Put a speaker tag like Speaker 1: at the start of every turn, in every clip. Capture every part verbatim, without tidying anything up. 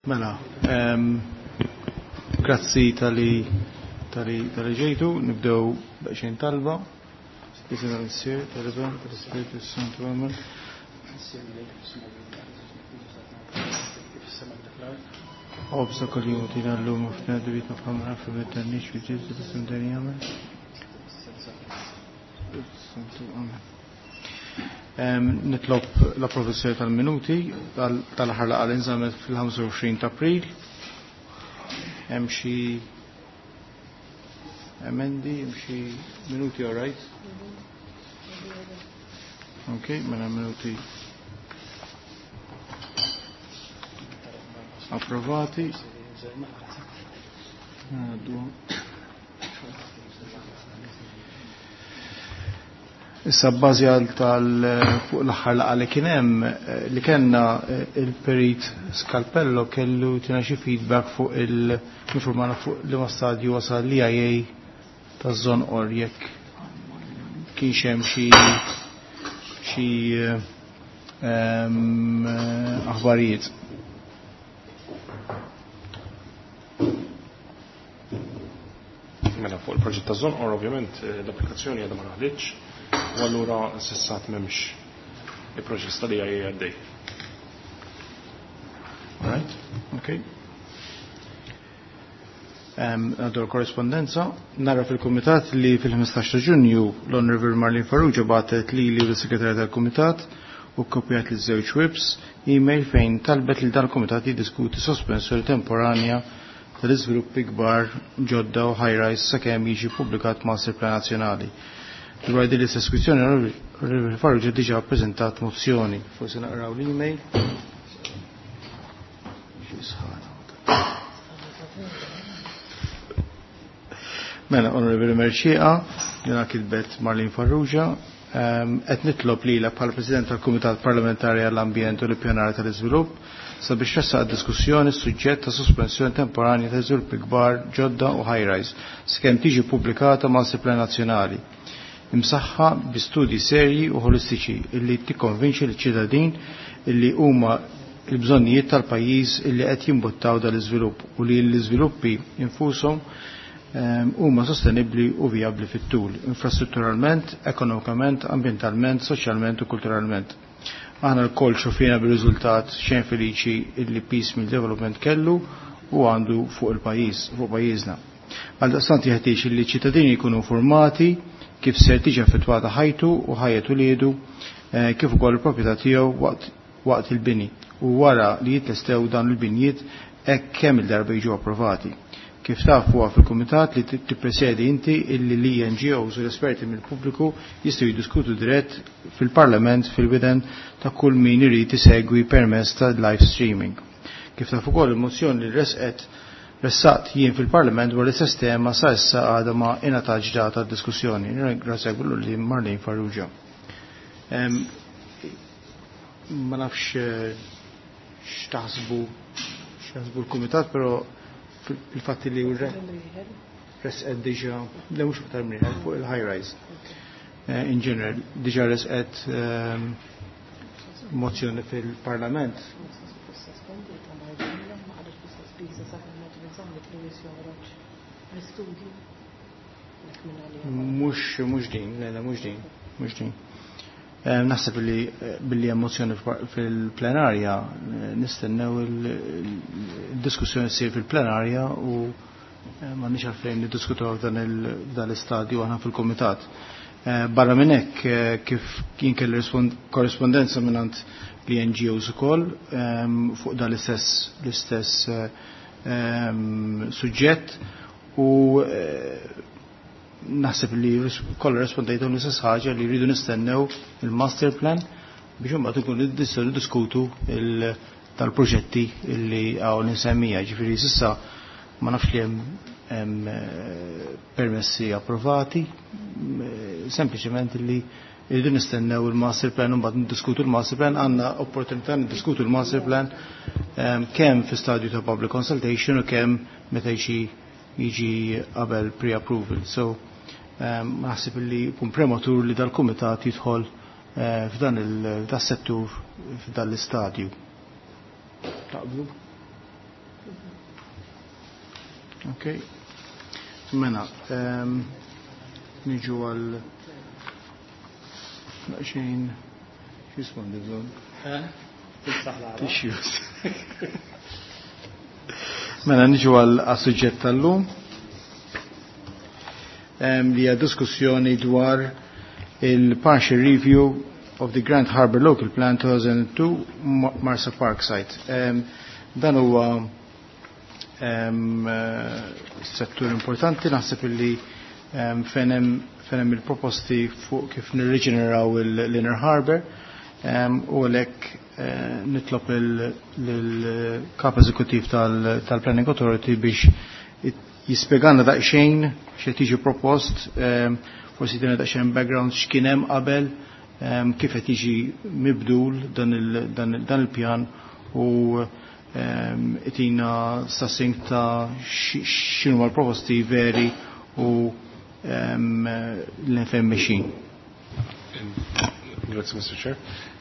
Speaker 1: Mela, um, grazzi tal-li tal-li tal-li ġejtu, nibdew daqsxejn talba. Isem tal-Missier, tal-Iben, tal-Ispirtu Santu, amen. Obsa kol jum tina l-lum u f'na dubitna f'ħamra f'bidda nix f'ġizzu l-isem dani, amen. Santu, amen. Nitlob l-approvazzjoni tal-minuti tal-aħħar laqgħa li nżammet fil-ħamsa u għoxrin ta' April. Hemm xi emendi, hemm xi minuti, all right? Ok, mela minuti approvati. Għaddu. Issa bbażi għal tal fuq l-aħħar laqgħa li kien hemm, eh, li kellna, eh, il-Perit Scalpello kellu tina xi feedback fuq il-informana fuq li ma stadju wasal l-E I A taż-Żonqor, jekk kienx hemm xi, xi, ehm, aħbarijiet.
Speaker 2: Mela fuq il-proġett taż-Żonqor ovvjament, eh, l-applikazzjoni għadha ma daħlitx. U allura s'issa m'hemmx il-proċess tal-E I A għaddej.
Speaker 1: All right, okay. Ehm, għaddu l-korrespondenza. Nara fil-Kumitat li fil-ħmistax ta' Ġunju l-Honorable Marlene Farrugia bagħtet lili u l-Segretarja tal-Kumitat u kopjat li żewġ whips email fejn talbet li dal-Kumitat jiddiskuti sospensjoni temporanja tal-iżviluppi kbar ġodda u high-rise sakemm jiġi ppubblikat Master Plan Nazzjonali. Dwar din l-istess kwistjoni, Onorevoli Farrugia diġà ppreżentat mozzjoni. Forsi naqraw l-email. Mela, Onorevoli Mercieca, jena kitbet Marlene Farrugia, ehm, qed nitlob lilek bħala President tal-Kumitat Parlamentari għall-Ambjent u l-Ippjanar tal-Iżvilupp sabiex tressaq diskussjoni suġġett ta' sospensjoni temporanja ta' żviluppi kbar ġodda u high-rise sakemm tiġi pubblikata Master Plan Nazzjonali imsaħħa bi studji serji u holistiċi illi tikkonvinċi liċ-ċittadin illi huma l-bżonnijiet tal-pajjiż illi qed jimbuttaw dal-iżvilupp u li l-iżviluppi infushom, ehm, huma sostenibbli u vijabbli fit-tul, infrastrutturalment, ekonomikament, ambjentalment, soċjalment u kulturalment. Aħna lkoll xofina bir-riżultat xejn feliċi illi piecemeal development kellu u għandu fuq il-pajjiż, fuq pajjiżna. Għaldaqstant jeħtieġ li ċittadini jkunu informati kif ser tiġi affettwata ħajtu u ħajjet uliedu, eh, kif ukoll il-proprjetà tiegħu waqt, waqt il-bini u wara li jitlestew dan il-binjiet hekk kemm il-darba jiġu approvati. Kif taf huwa fil-kumitat li ti-, tippresedi inti illi l-E N G Os u l-esperti mill-pubbliku jistgħu jiddiskutu dirett fil-Parlament fil-widen ta' kull min irid isegwi permezz ta' live streaming. Kif taf ukoll il-mozzjoni li resqet ressaqt jien fil-Parlament dwar l-istess tema sa issa għadha ma ingħatax data d-diskussjoni. Nirringrazzjak billu li Marlene Farrugia. Em, ma nafx, eh, x'taħsbu, x'taħsbu l-Kumitat, però il-fatt li hu resqet diġà, le mhux aktar minn fuq il-high rise. Eh, in general, diġà resqet, ehm, mozzjoni fil-Parlament. Mhux, mhux din, le, le, mhux din, mhux din. Eh, naħseb li, eh, billi hemm mozzjoni fil-, fil-plenarja, eh, nistennew il-diskussjoni ssir fil-plenarja u, eh, m'għandniex għalfejn niddiskutu f'dan il-, f'dan l-istadju aħna fil-kumitat. Eh, barra minn hekk, eh, kif kien kelli rispon-, korrespondenza mingħand l N G Os ukoll, ehm, fuq dan l-istess, l-istess, eh, ehm, suġġett u, eh, naħseb li ris-, kollha rispondejtu l-istess ħaġa li rridu nistennew il-master plan biex imbagħad ikunu nistgħu niddiskutu il-, tal-proġetti li hawn insemmija. Ġifieri s'issa ma nafx li hemm, hemm, eh, permessi approvati, eh, sempliċement li rridu nistennew il-master plan u mbagħad niddiskutu l-master plan. Għandna opportunità niddiskutu l-master plan, ehm, kemm fi stadju ta' public consultation u kemm meta jiġi, jiġi qabel pre-approval. So, ehm, naħseb li jkun prematur li dal-kumitat jidħol, eh, f'dan il-, das-settur f'dan l-istadju. Taqblu? Ok. Mela, ehm, niġu għal daqsxejn x'jismu għandi bżonn? Tissues. Mela niġu għal suġġett tal-lum ehm, li hija diskussjoni dwar il-partial review of the Grand Harbour Local Plan two thousand two Marsa Park Site. Um, dan huwa um, settur importanti, naħseb illi um, fejn hemm il-proposti fuq kif nirriġeneraw l-Inner Harbour um, u għalhekk uh, nitlob il-kap eżekutiv tal-Planning Authority biex jispjegana daqsxejn x'qed tiġi propost, um, forsi tina daqsxejn background x'kien hemm qabel, um, kif qed jiġi mibdul dan il-pjan u um, itina succinct ta' x'inhu l-proposti veri u um, l-fejn mexjin.
Speaker 2: Grazie, Mister Chair.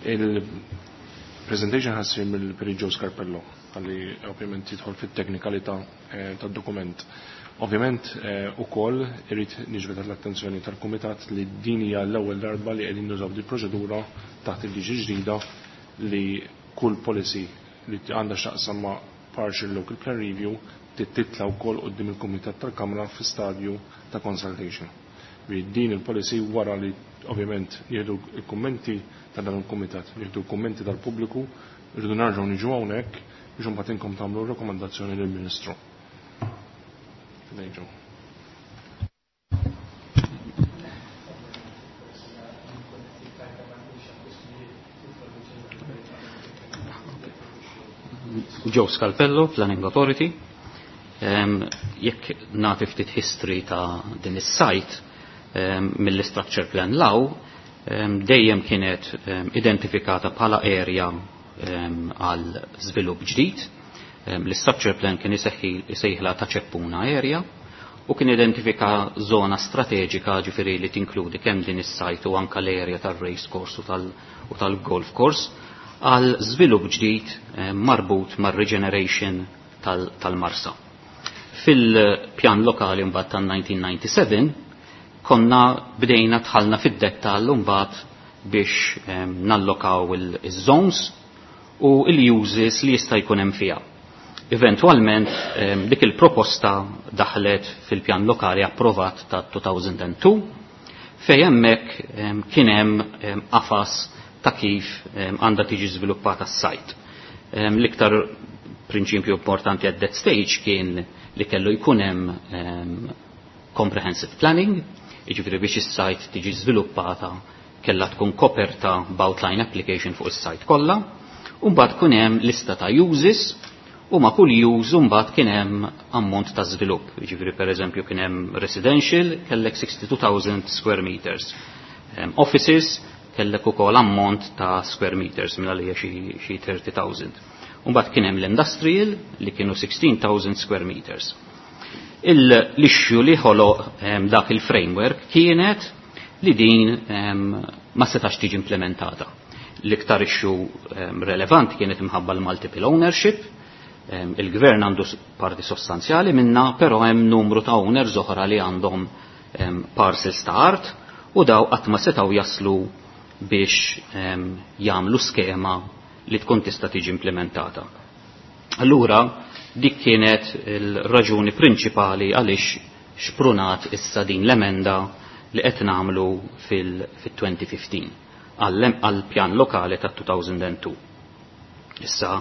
Speaker 2: Il-presentation ħa ssir mill-Perit Joe Scarpello, għalli ovvjament jidħol fit-teknikalità eh, tad-dokument. Ovvjament eh, ukoll irrid niġbed l-attenzjoni tal-Kumitat li din hija l-ewwel darba li qegħdin nużaw di proċedura taħt il-liġi ġdida li kull policy li għandha x'taqsam ma' partial local plan review titla wkoll quddiem il-Kumitat tal-Kamra fi stadju ta' consultation. Din il-policy, wara li ovvjament jieħdu il-kummenti ta' dan il-kumitat, jieħdu l-kummenti tal-pubbliku, rridu nerġgħu niġu hawnhekk biex imbagħad inkom tagħmlu rakkomandazzjoni lill-Ministru. Fidejn.
Speaker 3: Joe Scarpello, Planning Authority. Um, jekk nagħti ftit history ta' din is-site um, mill-structure plan law, um, dejjem kienet um, identifikata bħala area għal um, żvilupp ġdid. Um, L-structure plan kien isejħla ta' Ċeppuna area u kien identifika zona strateġika, ġifieri li tinkludi kemm din is-site u anka l-area tal-race course u tal-golf course għal żvilupp ġdid marbut mar-regeneration tal-Marsa. Fil-pjan lokali mbagħad tan-elf disa' mija u disgħa u disgħin konna bdejna dħalna fid-dettall mbagħad biex nallokaw il-zones u il-uses li jista' jkun hemm fiha. Eventualment dik il-proposta daħlet fil-pjan lokali approvat ta' elfejn u tnejn fejn hemmhekk kien hemm qafas ta' kif għandha tiġi żviluppata s-site. L-iktar prinċipju importanti at that stage kien li kellu jkun hemm comprehensive planning, jiġifieri biex is-site tiġi żviluppata kellha tkun koperta b'outline application fuq is-site kollha, u mbagħad kun hemm lista ta' uses u ma' kull use mbagħad kien hemm ammont ta' żvilupp. Jiġifieri, pereżempju, kien hemm residential, kellek sixty-two thousand square meters. Um, offices kellek ukoll ammont ta' square meters minn għalija xi thirty thousand. Mbagħad kien hemm l-industrial li kienu sixteen thousand square meters. L-issue li ħoloq dak il-framework kienet li din ma setax tiġi implementata. L-iktar issue relevanti kienet imħabba l-multiple ownership, il-gvern għandu parti sostanzjali minna, però hemm numru ta' owners oħra li għandhom parcels ta' art u daw qatt ma setgħu jaslu biex jagħmlu skema li tkun tista' tiġi implementata. Allura dik kienet il-raġuni prinċipali għaliex xprunat issa din l-emenda li qed nagħmlu fil-elfejn u ħmistax għal-pjan lokali ta' elfejn u tnejn. Issa,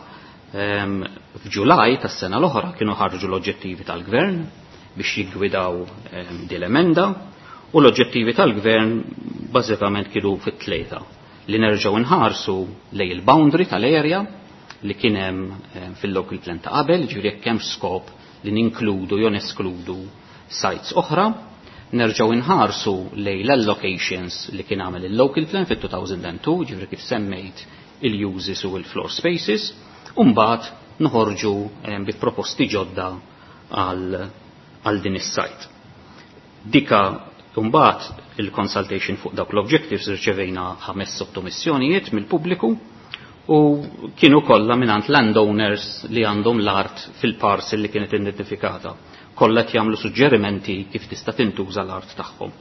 Speaker 3: f'Ġulaj tas-sena l-oħra kienu ħarġu l-oġġettivi tal-gvern biex jiggwidaw din l-emenda u l-oġġettivi tal-gvern bażikament kienu fit-tlieta: li nerġgħu nħarsu lej il-boundary tal-area li kien hemm fil-local plan ta' qabel, ġifieri jekk hemm skop li ninkludu jew neskludu sites oħra, nerġgħu nħarsu lej l-allocations li kien għamel il-local plan fit-elfejn u tnejn, ġifieri kif semmejt il-uses u il-floor spaces, u mbagħad noħorġu bi proposti ġodda għal din is-site. Dika mbagħad il-consultation fuq dawk l-objectives, irċevejna ħames sottomissjonijiet mill-pubbliku U kienu kollha mingħand landowners li għandhom l-art fil-parcel li kienet identifikata. Kollha qed jagħmlu suġġerimenti kif tista' tintuża l-art tagħhom.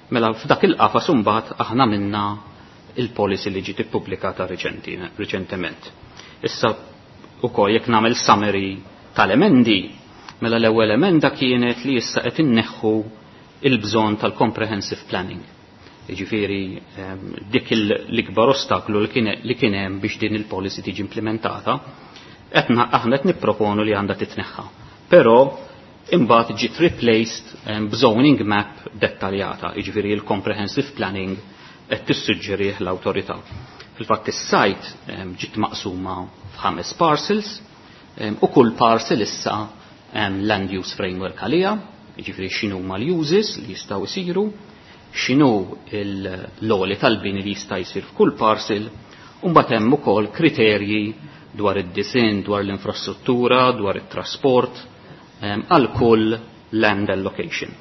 Speaker 3: Mela f'dak il-qafas imbagħad aħna minna il-policy li ġiet ippubblikata riċentement. Issa ukoll jekk nagħmel summary tal-emendi, mela l-ewwel emenda kienet li issa qed inneħħu il-bżonn tal-comprehensive planning. Jiġifieri dik l-ikbar ostaklu li kien hemm biex din il-policy tiġi implementata, qed aħna qed nipproponu li għandha titneħħa. Però imbagħad ġiet replaced b'zoning map dettaljata, jiġifieri il-comprehensive planning qed tissuġġerih l-awtorità. Fil-fatt is-site ġiet maqsuma f'ħames parcels u kull parcel issa land use framework għalija, jiġifieri x'inhu huma l-uses li jistgħu jsiru, x'inhu l-għoli tal-bini li jista' jsir f'kull parcel, u mbagħad hemm ukoll kriterji dwar id-disinn, dwar l-infrastruttura, dwar it-trasport, għal kull land allocation.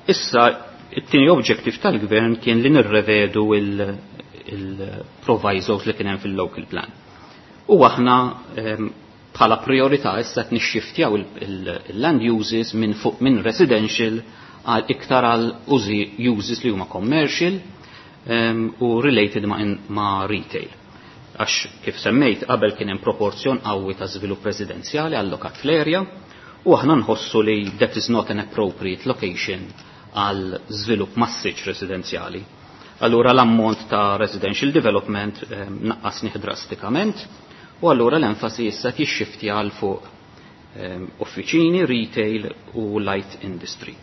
Speaker 3: Issa, it-tieni objective tal-gvern kien li nirrevedu il-provisos li kien hemm fil-local plan. U aħna bħala priorità issa qed nixxiftjaw il-land uses minn fuq minn residential għal iktar għal użi uses li huma commercial u related ma', ma retail. Għax kif semmejt qabel kien hemm proporzjon qawwi ta' żvilupp residenzjali allokat fl-area u aħna nħossu li that is not an appropriate location għal żvilupp massiċ residenzjali. Allura l-ammont ta' residential development eh, naqqasnih drastikament u allura l-enfasi issa tixxifti għal fuq eh, uffiċini, retail u light industry.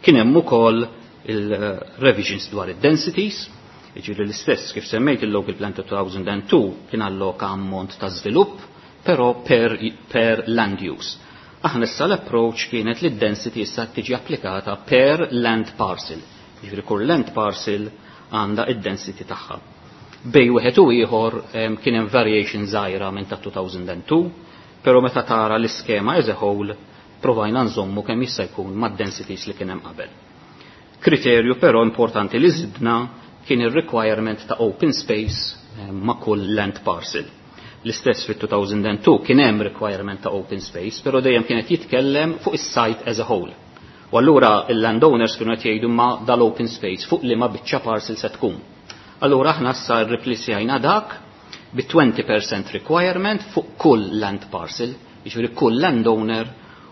Speaker 3: Kien hemm ukoll il-revisions dwar id-densities, jiġifieri l-istess kif semmejt il-Local Plan ta' two thousand and two kien alloka ammont ta' żvilupp, però per, per land use. Aħna issa l-approach kienet li d-density issa tiġi applikata per land parcel. Jiġifieri kull land parcel għandha id-density tagħha. Bejn wieħed u ieħor kien hemm variation żgħira minn ta' two thousand and two, però meta tara l-iskema as a whole provajna nżommu kemm jista' jkun mad-densities li kien hemm qabel. Kriterju però importanti li żidna kien il-requirement ta' open space ma' kull land parcel. L-istess fit-two thousand and two kien hemm requirement ta' open space, però dejjem kienet jitkellem fuq is-site as a whole. U allura il-landowners kienu qed jgħidu ma dal-open space fuq li ma biċċa parcel se tkun. Allura aħna issa rriplacejna dak bi twenty percent requirement fuq kull land parcel, jiġifieri kull landowner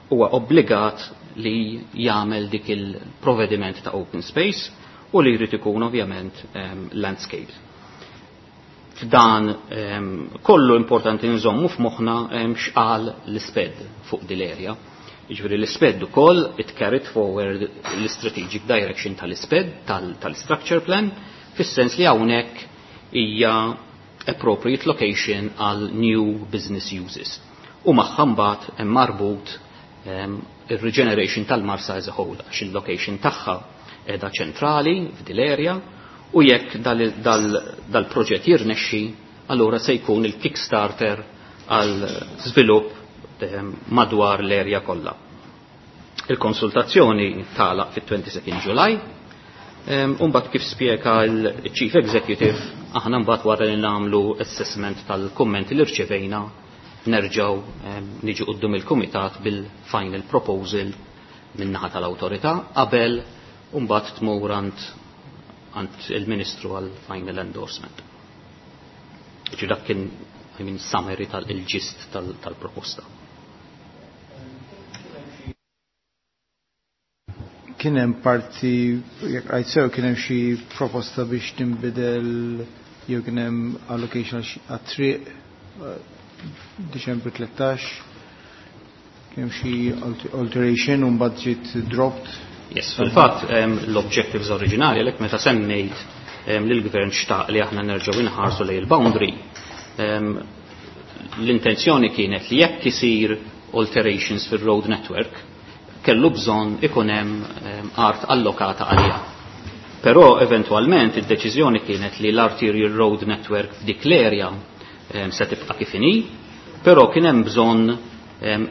Speaker 3: huwa obbligat li jagħmel dik il-provediment ta' open space u li jrid ikun ovvjament um, landscaped. F'dan um, kollu importanti nżommu f'moħħna um, x'qal l-SPED fuq din l-area. Jiġifieri l-SPED ukoll it carried forward l-strategic direction tal-SPED, tal-structure plan, fis-sens li hawnhekk hija appropriate location għal new business uses. U magħha mbagħad hemm marbut um, il-regeneration tal-Marsa as a whole, għax il-location tagħha edha ċentrali f'dil area u jekk dal-proġett dal, jirnexxi, allura se jkun il-kickstarter għal żvilupp madwar l-area kollha. Il-konsultazzjoni tagħlaq fit-twenty-second July. Umbagħad kif spjega l-Chief Executive, aħna mbagħad wara li nagħmlu assessment tal-kummenti li rċevejna nerġgħu niġu quddiem il-kumitat bil-final proposal min-naħa tal-awtorità qabel mbagħad tmur għand għand il-Ministru għal final endorsement. Ġi dak kien, I mean, summary tal-gist tal-proposta.
Speaker 1: Kien hemm parti, jekk rajt sew, kien hemm xi proposta biex tinbidel jew kien hemm allocation għat-triq eh, Diċembru tlettax, kien hemm xi alteration u mbagħad ġiet dropped.
Speaker 3: Yes, fil-fatt l-objectives oriġinali, għalhekk meta semmejt li l-gvern xtaq li aħna nerġgħu inħarsu lejn il-boundary, l-intenzjoni kienet li jekk isir alterations fil-road network, kellu bżonn ikun hemm art allokata għalija. Però eventualment id-deċiżjoni kienet li l-arterial road network f'dik l-area se tibqa' kif inhi, però kien hemm bżonn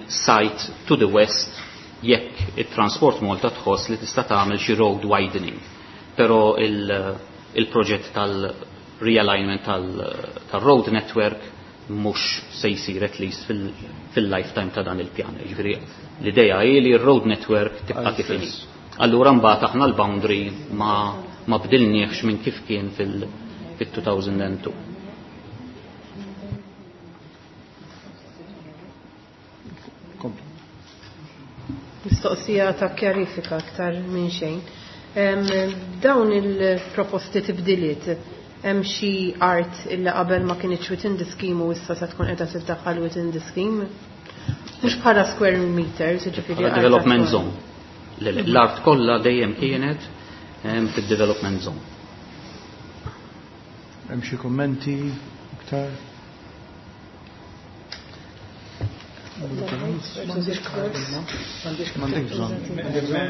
Speaker 3: site to the west jekk it-Transport Malta tħoss li tista' tagħmel xi road widening. Però il-proġett tal realignment tal-road network mhux se jsir at least fil-lifetime ta' dan il-pjan. Jiġifieri l-idea hi li r-road network tibqa' kif inhi. Allura mbagħad aħna l-boundary ma ma bdilniex minn kif kien fil-two thousand two.
Speaker 1: Kompli.
Speaker 4: Mistoqsija ta' kjarifika aktar minn xejn. Em, Dawn il-proposti tibdiliet, hemm xi art illa qabel ma kienx within the scheme u issa se tkun qiegħda tiddaħħal within the scheme? Mhux bħala square meters, jiġifieri
Speaker 3: Bħala
Speaker 4: art
Speaker 3: development
Speaker 4: attwali.
Speaker 3: zone. Le, le, l-art kollha dejjem kienet em, fid-development zone.
Speaker 1: Hemm xi kummenti iktar? M'għandek bżonn.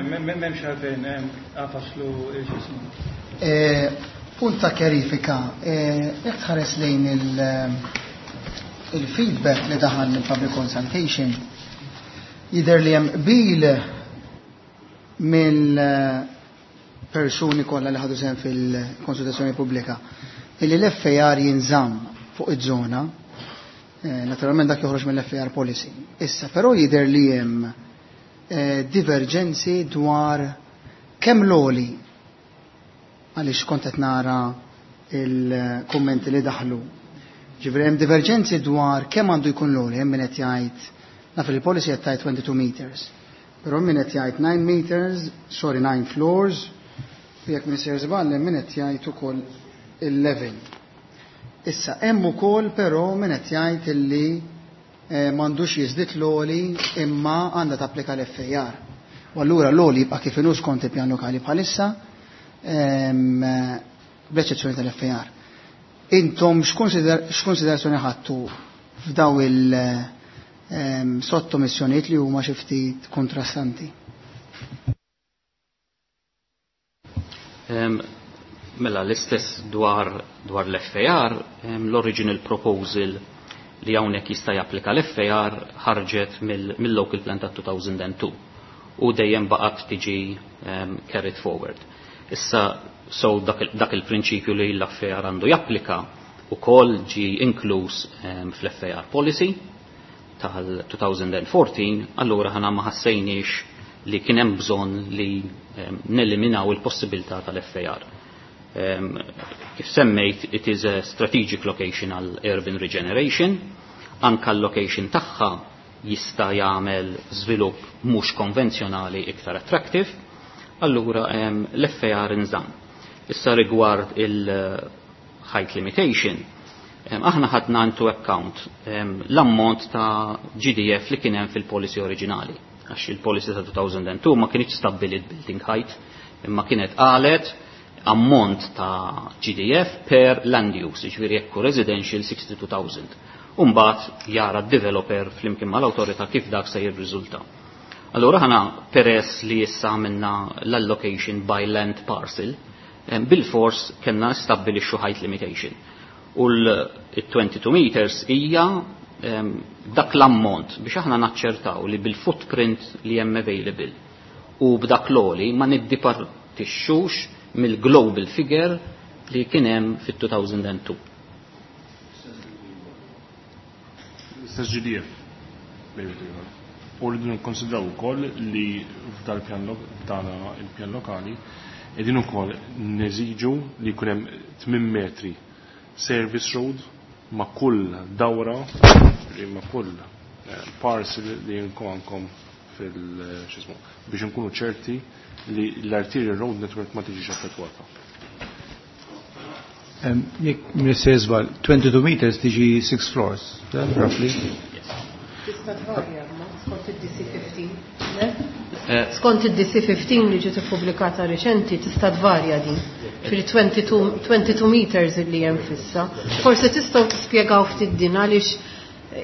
Speaker 5: M'hemmx għalfejn għafaslu il-xismu.
Speaker 6: Eh, Punt ta' kjarifika, eh, jekk tħares lejn il- il-feedback li daħal mill-public consultation, jidher li hemm qbil mill-persuni kollha li ħadu sehem fil-konsultazzjoni pubblika illi l-F A R jinżamm fuq iż-żona, eh, naturalment dak joħroġ mill-F A R policy. Issa, però jidher li hemm eh, divergenzi dwar kemm l-għoli, għaliex kont qed nara il-kummenti li daħlu. Ġifieri hemm divergenzi dwar kemm għandu jkun l-għoli, hemm min qed jgħid, naf li il-policy qed tgħid twenty-two meters. Però min qed jgħid nine meters, sorry, nine floors, u jekk min sejjer żball hemm min qed jgħid ukoll eleven. Issa hemm ukoll però min qed jgħid illi eh, m'għandux jiżdied l-għoli imma għandha tapplika l-F A R. U allura l-għoli jibqa' kif inhu skont il-pjan lokali bħalissa, ehm, bl-eċċezzjoni tal-F A R. Intom x'konsider- x'konsiderazzjoni ħadtu f'daw il- ehm, sottomissjonijiet li huma xi ftit kontrastanti?
Speaker 3: Em, Mela, l-istess dwar, dwar l-F A R, em, l-original proposal li hawnhekk jista' japplika l-F A R ħarġet mill-local plan ta' two thousand two u dejjem baqgħet tiġi um, carried forward. Issa, so dak, dak il-prinċipju li l-F A R għandu japplika ukoll ġi inkluż um, fl-F A R policy tal-twenty fourteen, allura aħna ma ħassejniex li kien hemm bżonn li um, neliminaw il-possibilità tal-F A R. Um, kif semmejt, it is a strategic location għal urban regeneration, anka l-location tagħha jista' jagħmel żvilupp mhux konvenzjonali iktar attractive, allura um, l-F A R inżamm. Issa rigward il-height limitation, um, aħna ħadna into account um, l-ammont ta' G D F li kien hemm fil-policy oriġinali. Għax il-policy ta' two thousand two ma kienx stabbilit building height, imma kienet qalet ammont ta' G D F per land use, ġifieri jekk residential sixty-two thousand. Umbagħad jara d-developer flimkien mal-awtorità kif dak se jirriżulta. Allura aħna, peress li issa għamilna l-allocation by land parcel, bil-fors kellna stabbilixxu height limitation. U l-twenty-two meters hija dak l-ammont biex aħna naċċertaw li bil-footprint li hemm available u b'dak l-għoli ma niddipartixxux mill-global figure li kien hemm fit-two thousand two.
Speaker 2: L-istess G D F. U rridu nikkonsidraw ukoll li f'dal pjan f'dan il-pjan lokali qegħdin ukoll neżiġu li jkun hemm tmien metri service road ma' kull dawra, ma' kull eh, parcel li għandkom fil-xismu, biex nkunu ċerti li l-arterial road network ma tiġix affettwata.
Speaker 1: Jekk Mister Żball, twenty-two meters tiġi six floors, roughly?
Speaker 4: Tista' tvarja, ma skont id-D C fifteen. Le? Skont id-D C fifteen li ġiet ippubblikata reċenti tista' tvarja din. Fil twenty-two twenty-two meters li hemm fissa. Forsi tistgħu tispjegaw ftit din, għaliex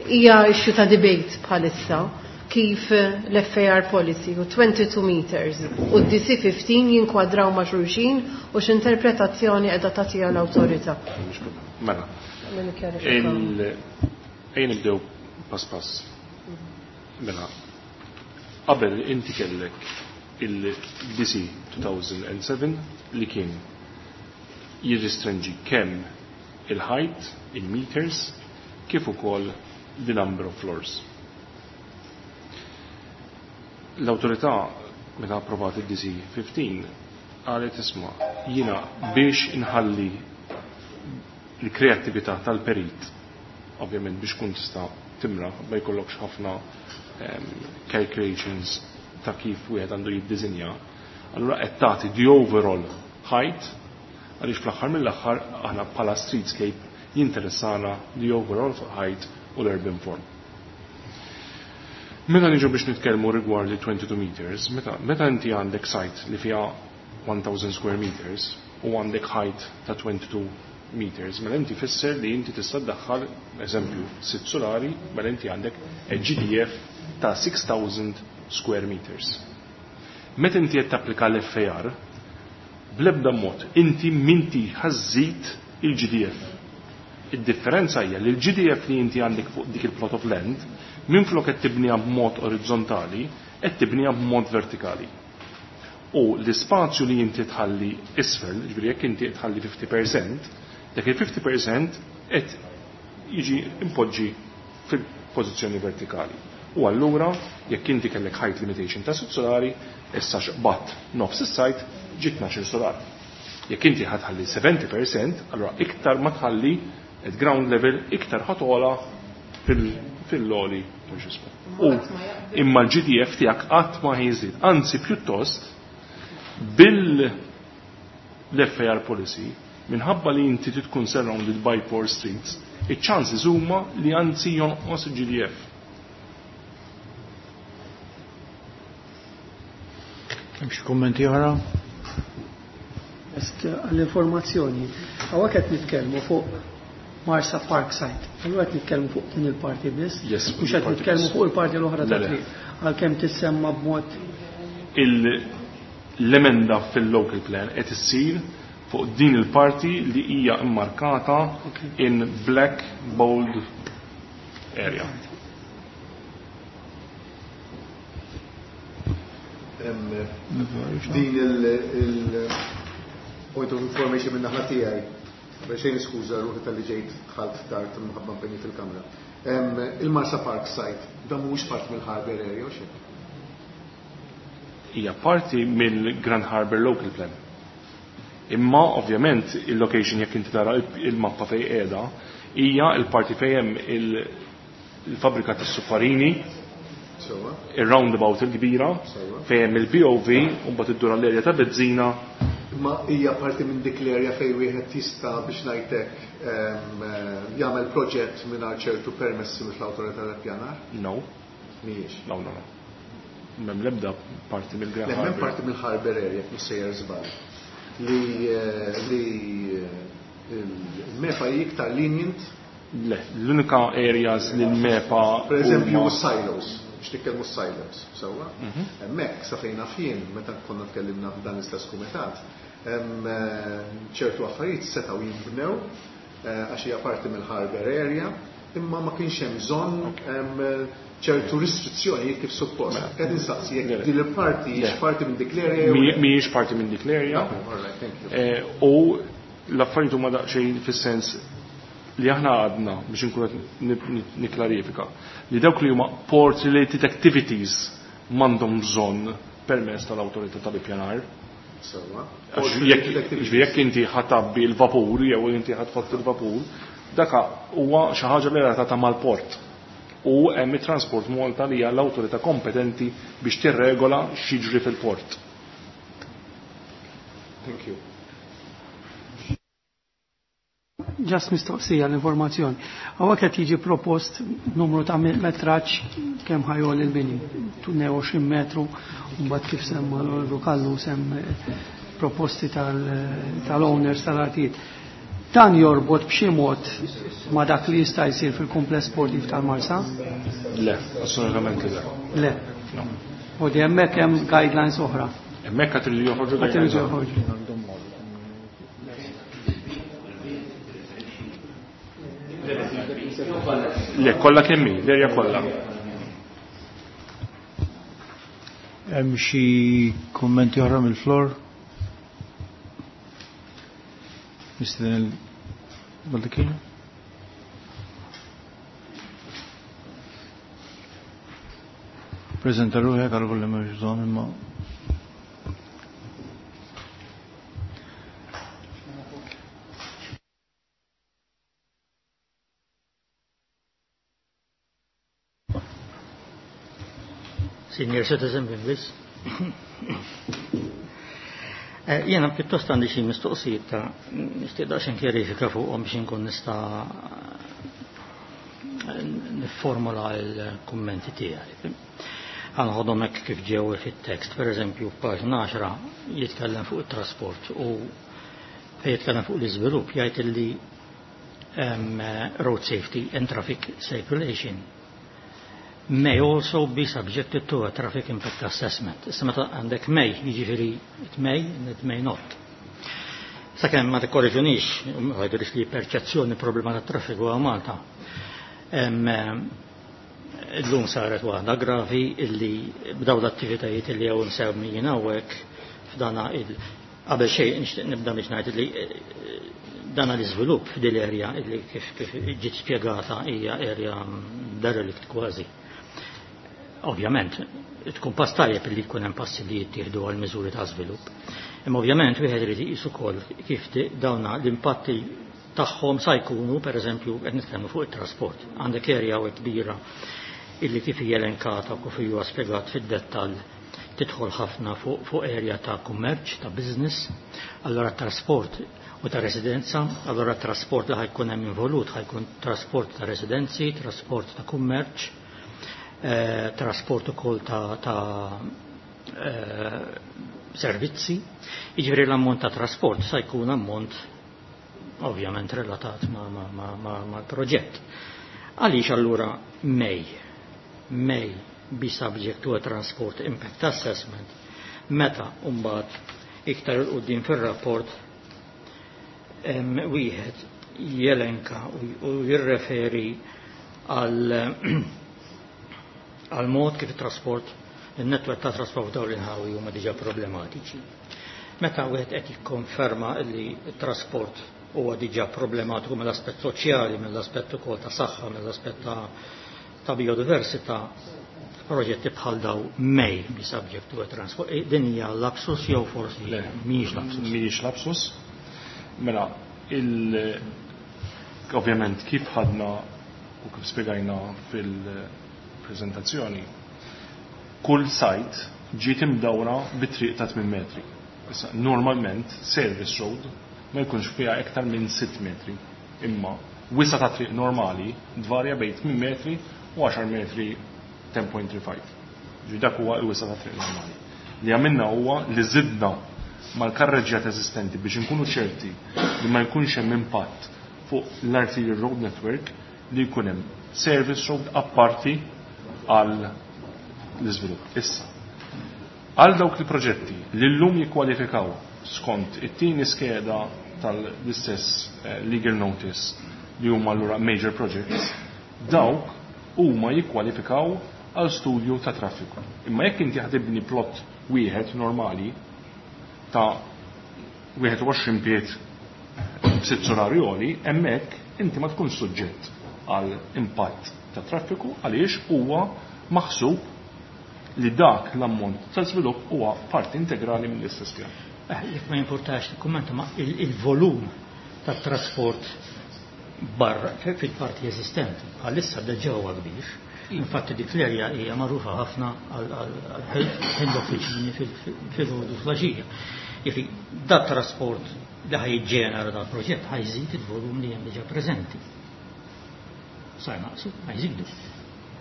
Speaker 4: hija issue ta' debate bħalissa kif l-F A R policy u twenty-two meters u D C fifteen jinkwadraw ma' xulxin u x'interpretazzjoni qiegħda tagħtiha l-awtorità.
Speaker 2: Mela. Ejja nibdew pass pass. Mela, qabel inti kellek il-D C two thousand seven li kien jirrestringi kemm il-height in meters kif ukoll the number of floors. L-awtorità meta approvat id-D C fifteen qalet isma' jiena biex inħalli l-kreattività tal-perit, ovvjament biex kun tista' timra ma jkollokx ħafna um, calculations ta' kif wieħed għandu jiddisinja, allura qed tagħti the overall height għaliex fl-aħħar mill-aħħar aħna bħala streetscape jinteressana the overall height u l-urban form. Meta niġu biex nitkellmu rigward li twenty-two meters, meta, meta inti għandek site li fiha one thousand square meters u għandek height ta' twenty-two meters, mela inti fisser li inti tista' ddaħħal, eżempju, sitt solari, mela inti għandek G D F ta' six thousand square meters. Meta inti qed tapplika l-F A R, bl-ebda mod inti minti ħażżid il-G D F. Id-differenza hija li l-G D F li inti għandek fuq dik il-plot of land, minflok qed tibniha b'mod orizzontali, qed tibniha b'mod vertikali. U l-ispazju li inti tħalli isfel, ġifieri jekk inti tħalli fifty percent, dak il-fifty percent qed jiġi impoġġi fil-pożizzjoni vertikali. U allura jekk inti kellek height limitation ta' sitt solari, issa xqbatt nofs is-sajt ġiet tnax-il solar. Jekk inti ħadħalli seventy percent, allura iktar ma tħalli at ground level iktar ħatola fil-loli ta' ġismu. U imma l-G D F tiegħek qatt ma ħiżid, anzi pjuttost bil-F A R policy, minħabba li inti tkun surrounded by four streets, iċ-chances huma li anzi jonqos il-G D F.
Speaker 1: Hemm xi kummenti oħra?
Speaker 7: Est għall-informazzjoni, hawnhekk qed nitkellmu fuq Marsa Park Site. Allura qed nitkellmu fuq din il-parti biss,
Speaker 2: Yes,
Speaker 7: mhux qed
Speaker 2: il-parti
Speaker 7: nitkellmu
Speaker 2: biss.
Speaker 7: fuq il-parti l-oħra ta'
Speaker 2: Le, le.
Speaker 7: triq, għalkemm tissemma b'mod
Speaker 2: Il-, l-emenda fil-local plan qed issir fuq din il-parti li hija immarkata
Speaker 7: Okay.
Speaker 2: in black bold area.
Speaker 8: Din il-point of information minn naħa tiegħi, biex xejn niskuża ruħi tal-li ġejt dħalt tard minħabba impenji fil-kamra. Il-Marsa Park site, dan mhuwiex parti mill-Harbour area u xejn?
Speaker 2: Hija parti mill-Grand Harbour Local Plan. Imma ovvjament il-location jekk inti tara il-mappa fejn qiegħda hija l-parti fejn hemm il-fabbrika tas-suffarini,
Speaker 8: Sewwa.
Speaker 2: il-roundabout il-kbira,
Speaker 8: Sewwa.
Speaker 2: fejn hemm il-B O V u mbagħad iddur għall-erja ta' Bezzina.
Speaker 8: Imma hija parti minn dik l-erja fejn wieħed jista' biex ngħidlek, ehm, jagħmel proġett mingħajr ċertu permessi mill-awtorità tal-ippjanar?
Speaker 2: No.
Speaker 8: Mhijiex.
Speaker 2: No, no, no. M'hemm l-ebda parti mill-Grand
Speaker 8: Le, m'hemm
Speaker 2: Harbour.
Speaker 8: parti mill-Harbour area, jekk mhux sejjer żball. Li, eh, li, eh, il-MEPA hi iktar lenient?
Speaker 2: Le, l-unika areas li l-MEPA
Speaker 8: Per eżempju,
Speaker 2: huma
Speaker 8: silos, biex nitkellmu silos, sewwa?
Speaker 2: Mhm.
Speaker 8: Hemmhekk sa fejn naf jien, meta konna tkellimna f'dan l-istess kumitat, hemm, eh, ċertu affarijiet setgħu jinbnew, eh, għax hija parti mill-Harbour area, imma ma kienx hemm bżonn, hemm, ċertu restrizzjonijiet kif suppost.
Speaker 2: Mela.
Speaker 8: Qed insaqsi jekk
Speaker 2: Le, le.
Speaker 8: din il-parti
Speaker 2: Le.
Speaker 8: hijiex parti minn dik l-area jew
Speaker 2: Mi-,
Speaker 8: le.
Speaker 2: Mhijiex parti minn dik l-area.
Speaker 8: Okay, all right, thank you.
Speaker 2: Eh, u l-affarijiet huma daqsxejn fis-sens li aħna għadna biex inkunu qed ni-, ni-, nikklarifika li dawk li huma port related activities m'għandhom bżonn permess tal-awtorità tal-ippjanar.
Speaker 8: Sewwa.
Speaker 2: Għax
Speaker 8: Port
Speaker 2: jekk,
Speaker 8: related activities.
Speaker 2: ġifieri jekk inti ħatabbi l-vapur jew inti ħatfott il-vapur, daka huwa xi ħaġa li relatata mal-port. U hemm it-Transport Malta li hija l-awtorità kompetenti biex tirregola x'jiġri fil-port.
Speaker 8: Thank you.
Speaker 7: Ġast mistoqsija l-informazzjoni. Hawnhekk qed jiġi propost numru ta' metraġġ kemm ħajol il-bini, tnejn u għoxrin metru, u mbagħad kif semma l-Rukallu sem proposti tal-, tal-owners tal-artijiet. Dan jorbot b'xi mod ma' dak li jista' jsir fil-kumpless sportiv tal-Marsa?
Speaker 2: Le, assolutament le.
Speaker 7: Le.
Speaker 2: No.
Speaker 7: U di hemmhekk hemm guidelines oħra.
Speaker 2: Hemmhekk qed iridu joħorġu
Speaker 7: Qed iridu
Speaker 2: guidelines oħra.
Speaker 7: joħorġu.
Speaker 2: Le, kollha kemm hi, l-erja kollha.
Speaker 1: Hemm xi kummenti oħra mill-flor? Mister Baldacchino? Preżenta ruħek għal volli m'hemmx bżonn imma.
Speaker 9: Senior citizen bl-Inglis. Jena pjuttost għandi xi mistoqsijiet ta' nixtieq daqsxejn kjarifika fuqhom biex inkun nista' nifformula l-kummenti tiegħi. Ħanħodhom hekk kif ġew fit-tekst, pereżempju f'paġna għaxra jitkellem fuq it-trasport u fejn jitkellem fuq l-iżvilupp jgħid illi road safety and traffic circulation may also be subjected to a traffic impact assessment. Issa meta għandek may, jiġifieri it may and it may not. Sakemm ma tikkorreġunix, ma jidhirx li perċezzjoni problema tat traffiku għal Malta. Illum saret waħda gravi illi b'daw l-attivitajiet illi hawn semmijin hawnhekk f'dana il qabel xejn nixtieq nibda biex ngħid li dana l-iżvilupp f'dil area illi kif kif ġiet spjegata hija area derelict kważi. Ovvjament, tkun pass tajjeb li jkun hemm passi li jittieħdu għal miżuri ta' żvilupp. Imma ovvjament wieħed irid iqis ukoll kif dawna l-impatti tagħhom sa jkunu, pereżempju, qed nitkellmu fuq it-trasport. Għandek area hawnhekk kbira illi kif hija elenkata u kif huwa spjegat fid-dettall tidħol ħafna fuq, fuq area ta' kummerċ, ta' business, allora trasport u ta' residenza, allora trasport li ħajkun hemm involut ħajkun trasport ta' residenzi, trasport ta' kummerċ, eh, trasport ukoll ta', ta eh, servizzi. Jiġifieri l-ammont ta' trasport sa jkun ammont ovvjament relatat ma', ma, ma, ma, ma proġett. Għaliex allura may, may be subject to a transport impact assessment meta mbagħad iktar 'il quddiem fir-rapport wieħed jelenka u jirreferi għal għal mod kif it-trasport, il-netwerk ta' trasport dawn l-inħawi huma diġà problematiċi. Meta wieħed qed jikkonferma li t-trasport huwa diġà problematiku mill-aspett soċjali, mill-aspett ukoll ta' saħħa, mill-aspett ta', ta' biodiversità, proġetti bħal daw may be subject to a transport. E, din hija lapsus jew forsi
Speaker 2: Le,
Speaker 9: mhijiex lapsus?
Speaker 2: Mhijiex lapsus. Mela, il ovvjament kif ħadna u kif spjegajna fil-prezentazzjoni, kull site ġiet imdawra bi triq ta' tmien metri. Issa, normalment, service road ma jkunx fiha iktar minn sitt metri. Imma wisa ta' triq normali dvarja bejn tmien metri u għaxar metri ten point three five. Ġi dak huwa l-wisa ta' triq normali. Li għamilna huwa li żidna mal-karreġġjat eżistenti biex inkunu ċerti li ma jkunx hemm impatt fuq l-arterial road network li jkun hemm service road apparti għal l-iżvilupp. Issa, għal dawk il-proġetti li llum jikkwalifikaw skont it-tieni skeda tal-istess, eh, legal notice li huma allura major projects, dawk huma jikkwalifikaw għal studju ta' traffiku. Imma jekk inti ħatibni plot wieħed normali ta' wieħed u għoxrin pied b'sitt solari għoli, hemmhekk inti ma tkunx suġġett għal impatt ta' traffiku għaliex huwa maħsub li dak l-ammont ta' żvilupp huwa parti integrali mill-istess pjan.
Speaker 9: Eh, jekk ma jimpurtax nikkummenta, ma il-, il-volum tat-trasport barra fil-parti eżistenti bħalissa diġà huwa kbir. Infatti dik l-erja hija magħrufa ħafna għal l-offiċini fil-ħodu fl-għaxija. Jiġifieri dat trasport li ħajġenera dal proġett ħajżid il-volum li hemm diġà preżenti. Sa jnaqsu, ħajżidu.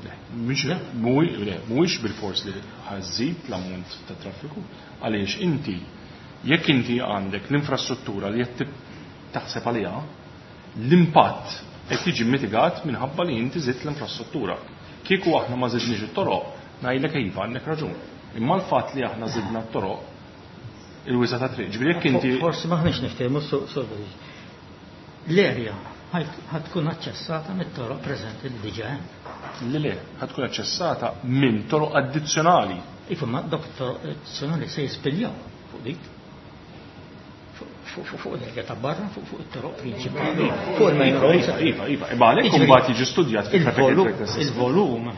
Speaker 2: Le, mhux le, mhuwiex bil-fors li ħażid l-ammont ta' traffiku, għaliex inti jekk inti għandek l-infrastruttura li qed taħseb għaliha, l-impatt qed jiġi mitigat minħabba li inti żidt l-infrastruttura. Kieku aħna ma żidniex it-toroq, ngħidlek iva għandek raġun. Imma l-fatt li aħna żidna t-toroq il-wisa ta' triq. Ġifieri jekk inti
Speaker 9: Forsi maħniex niftehmu su-, su-, l-erja ħad tkun aċċessata mit-toroq preżenti li diġà hemm.
Speaker 2: Le, le, ħad tkun aċċessata minn toroq addizzjonali.
Speaker 9: Iva, ma dawk it-toroq addizzjonali se jispiljaw fuq dik. fuq l-erja ta' barra, fuq it-toroq prinċipali, fuq il-main roads.
Speaker 2: Iva, iva, imma għalhekk imbagħad jiġi studjat
Speaker 9: il-volum